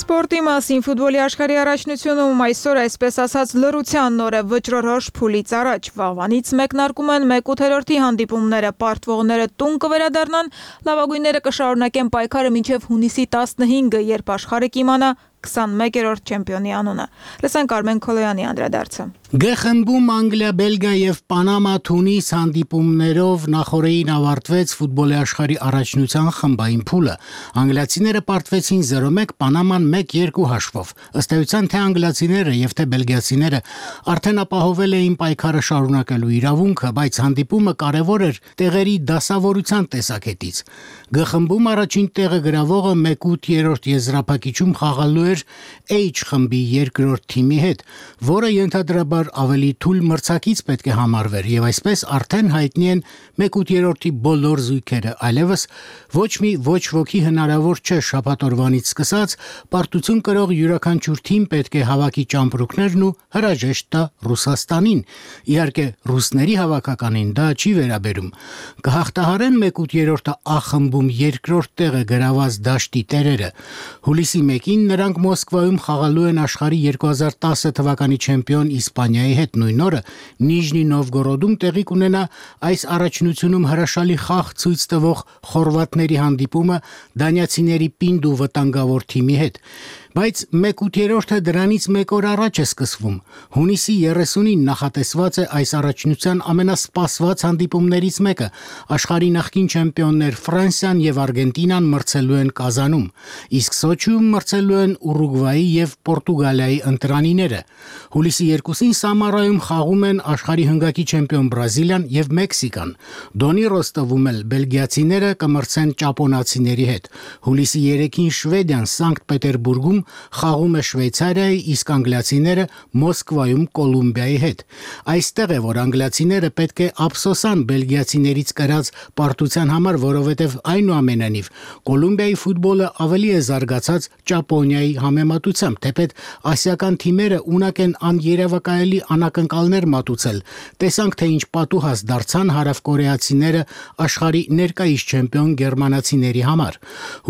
Speaker 4: Սպորտի մասին ֆուտբոլի աշխարհի առաջնությունում այսօր այսպես ասած լռության նոր է վճռորոշ փուլից առաջ վաղվանից մեկնարկում են մեկ ութերորդի հանդիպումները, պարտվողները տուն կվերադառնան, լավագույնները կշարունակեն պայքարը մինչև հունիսի տասնհինգը, երբ աշխարհը կիմանա քսանմեկերորդ չեմպիոնի անունը։ Լսենք Արմեն Քոլոյանի անդրադարձը։
Speaker 2: Գ խմբում Անգլիա, Բելգիա եւ Պանամա Թունիս հանդիպումներով նախորդին ավարտվեց ֆուտբոլի աշխարհի առաջնության խմբային փուլը։ Անգլիացիները պարտվեցին զերո մեկ, Պանաման մեկ երկու հաշվով։ Ըստ էության թե անգլիացիները եւ թե բելգիացիները արդեն ապահովել էին պայքարը շարունակելու իրավունքը, բայց հանդիպումը կարևոր էր տեղերի դասավորության տեսակետից։ Գ խմբում առաջին տեղը գրավողը մեկ ութերորդ եզրափակիչում խաղալու էր H խմբի երկրորդ թիմի հետ, որը ենթադրաբար ավելի թույլ մրցակից պետք է համարվեր եւ այսպես արդեն հայտնի են մեկ ութերորդի բոլոր զույգերը, այլևս ոչ մի ոչ ոքի հնարավոր չէ շաբաթօրվանից սկսած պարտություն կրող յուրաքանչյուր թիմ պետք է հավաքի ճամպրուկներն ու հրաժեշտ տա Ռուսաստանին։ Իհարկե ռուսների հավաքականին դա չի վերաբերում։ Կհաղթահարեն մեկ ութերորդը A խմբում երկրորդ տեղը գրաված դաշտի տերերը։ Հուլիսի մեկին նրանք Մոսկվայում խաղալու են աշխարհի երկու հազար տասը թվականի չեմպիոն Իսպանիայի հետ։ Նույն օրը Նիժնի Նովգորոդում տեղի կունենա այս առաջնությունում հրաշալի խաղ ցույց տվող խորվաթների հանդիպումը դանիացիների պինդ ու վտանգավոր թիմի հետ։ Բայց մեկ ութերորդը դրանից մեկ օր առաջ է սկսվում։ Հունիսի երեսունին նախատեսված է այս առաջնության ամենասպասված հանդիպումներից մեկը։ Աշխարհի նախկին չեմպիոններ Ֆրանսիան եւ Արգենտինան մրցելու են Կազանում, իսկ Սոչիում մրցելու են Ուրուգվայի եւ Պորտուգալիայի ընտրանիները։ Հուլիսի երկուսին Սամարայում խաղում են աշխարհի հնգակի չեմպիոն Բրազիլիան եւ Մեքսիկան։ Դոնի Ռոստովում էլ բելգիացիները կմրցեն ճապոնացիների հետ։ Հուլիսի երեքին Շվեդիան Սանկտ Պետերբուրգում խաղում է Շվեյցարիայի, իսկ անգլիացիները Մոսկվայում Կոլումբիայի հետ։ Այստեղ է, որ անգլիացիները պետք է ափսոսան բելգիացիներից կրած պարտության համար, որովհետև այնուամենայնիվ Կոլումբիայի ֆուտբոլը ավելի է զարգացած Ճապոնիայի համեմատությամբ, թեպետ ասիական թիմերը ունակ են աներևակայելի անակնկալներ մատուցել։ Տեսանք, թե ինչ պատուհաս դարձան հարավկորեացիները աշխարհի ներկայիս չեմպիոն գերմանացիների համար։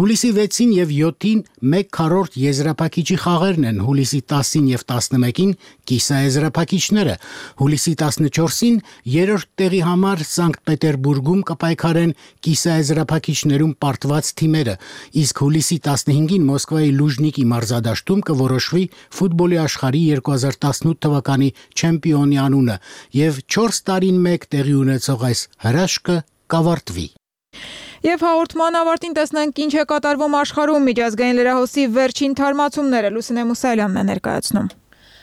Speaker 2: Հուլիսի վեցին եւ յոթին մեկ քառորդ եզրափակիչի խաղերն են, հուլիսի տասին եւ տասնմեկին կիսաեզրափակիչները, հուլիսի տասնչորսին երրորդ տեղի համար Սանկտ Պետերբուրգում կպայքարեն կիսաեզրափակիչներում պարտված թիմերը, իսկ հուլիսի տասնհինգին Մոսկվայի Լուժնիկի մարզադաշտում կորոշվի ֆուտբոլի աշխարհի երկու հազար տասնութ թվականի չեմպիոնի անունը եւ չորս տարին մեկ տեղի ունեցող այս հրաշքը կավարտվի։
Speaker 4: Եվ հաղորդման ավարտին տեսնենք ինչ է կատարվում աշխարհում։ Միջազգային լրահոսի վերջին թարմացումները Լուսինե Մուսալյանն է ներկայացնում։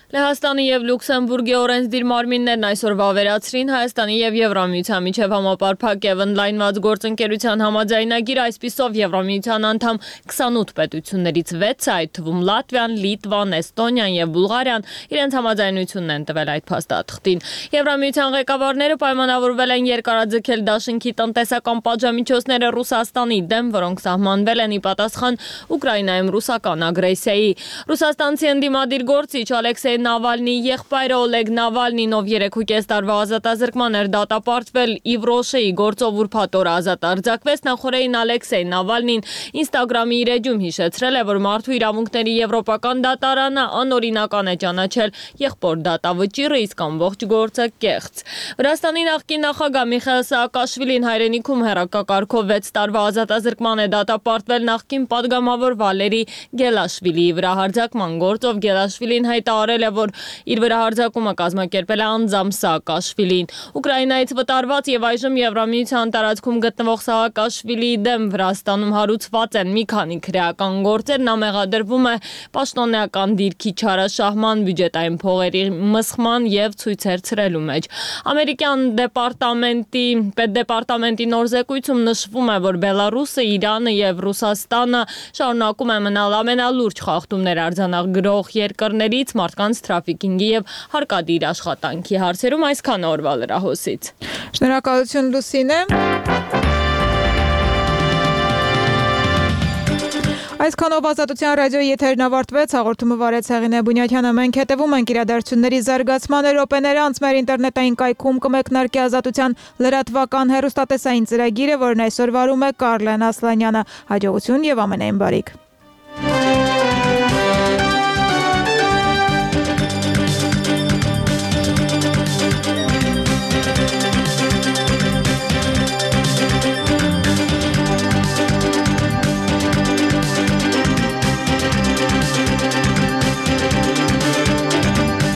Speaker 8: Լեհաստանի եւ Լյուքսեմբուրգի օրենսդիր մարմիններն այսօր վավերացրին Հայաստանի եւ Եվրամիության միջև համապարփակ եւ ընդլայնված գործընկերության համաձայնագիր, այսպիսով Եվրամիության անդամ քսանութ պետություններից վեցը, այդ թվում Լատվիան, Լիտվան, Էստոնիան եւ Բուլղարիան իրենց համաձայնությունն են տվել այդ փաստաթղթին։ Եվրամիության ղեկավարները պայմանավորվել են երկարաձգել դաշինքի տնտեսական պատժամիջոցները Ռուսաստանի դեմ, որոնք սահմանվել են ի պատասխան Ուկրաինայում ռուսական ագրեսիայի։ Ռուսաստանցի ընդդիմադիր գործիչ Ալեքսեյ Նավալնիի եղբայրը Օլեգ Նավալնին, ով երեք ու կես տարվա ազատազրկման էր դատապարտվել Իվրոշեի գործով ուրբաթ օր ազատ արձակվեց, նախորդին Ալեքսեյ Նավալնին Instagram-ի իր էջում հիշեցրել է, որ մարդու իրավունքների եվրոպական դատարանը անօրինական է ճանաչել եղբոր դատավճիռը, իսկ ամբողջ գործը կեղծ։ Վրաստանի նախկին նախագահ Միխայիլ Սաակաշվիլին հայրենիքում հեռակակարգով վեց տարվա ազատազրկման է դատապարտվել նախկին падգամավոր Վալերի Գելաշվիլիի վրա հարձակման գործով։ Գելաշվիլին հայտարարել է, որ իր վրա հարձակումը կազմակերպել է անձամբ Սաակաշվիլին։ Ուկրաինայից վտարված եւ այժմ Եվրամիության տարածքում գտնվող Սաակաշվիլիի դեմ Վրաստանում հարուցված են մի քանի քրեական գործեր, նա մեղադրվում է պաշտոնեական դիրքի չարաշահման, բյուջետային փողերի մսխման եւ ցույցեր ցրելու մեջ։ Ամերիկյան դեպարտամենտի պետդեպարտամենտի նոր զեկույցում նշվում է, որ Բելարուսը, Իրանը եւ Ռուսաստանը շարունակում են մնալ ամենալուրջ խախտումներ արձանագրող երկրներից մարդկանց թրաֆիքինգի եւ հարկադիր աշխատանքի հարցերում։ Այսքան օրվա լրահոսից։
Speaker 4: Շնորհակալություն Լուսինե։ Այսքանով Ազատության ռադիոյի եթերն ավարտվեց, հաղորդումը վարեց Հեղինե Բունյաթյանը, մենք հետևում ենք իրադարձությունների զարգացմանը, րոպեներ անց մեր ինտերնետային կայքում կմեկնարկի Ազատության լրատվական հեռուստատեսային ծրագիրը, որն այսօր վարում է Կարլեն Ասլանյանը։ Հաջողություն եւ ամենայն բարիք։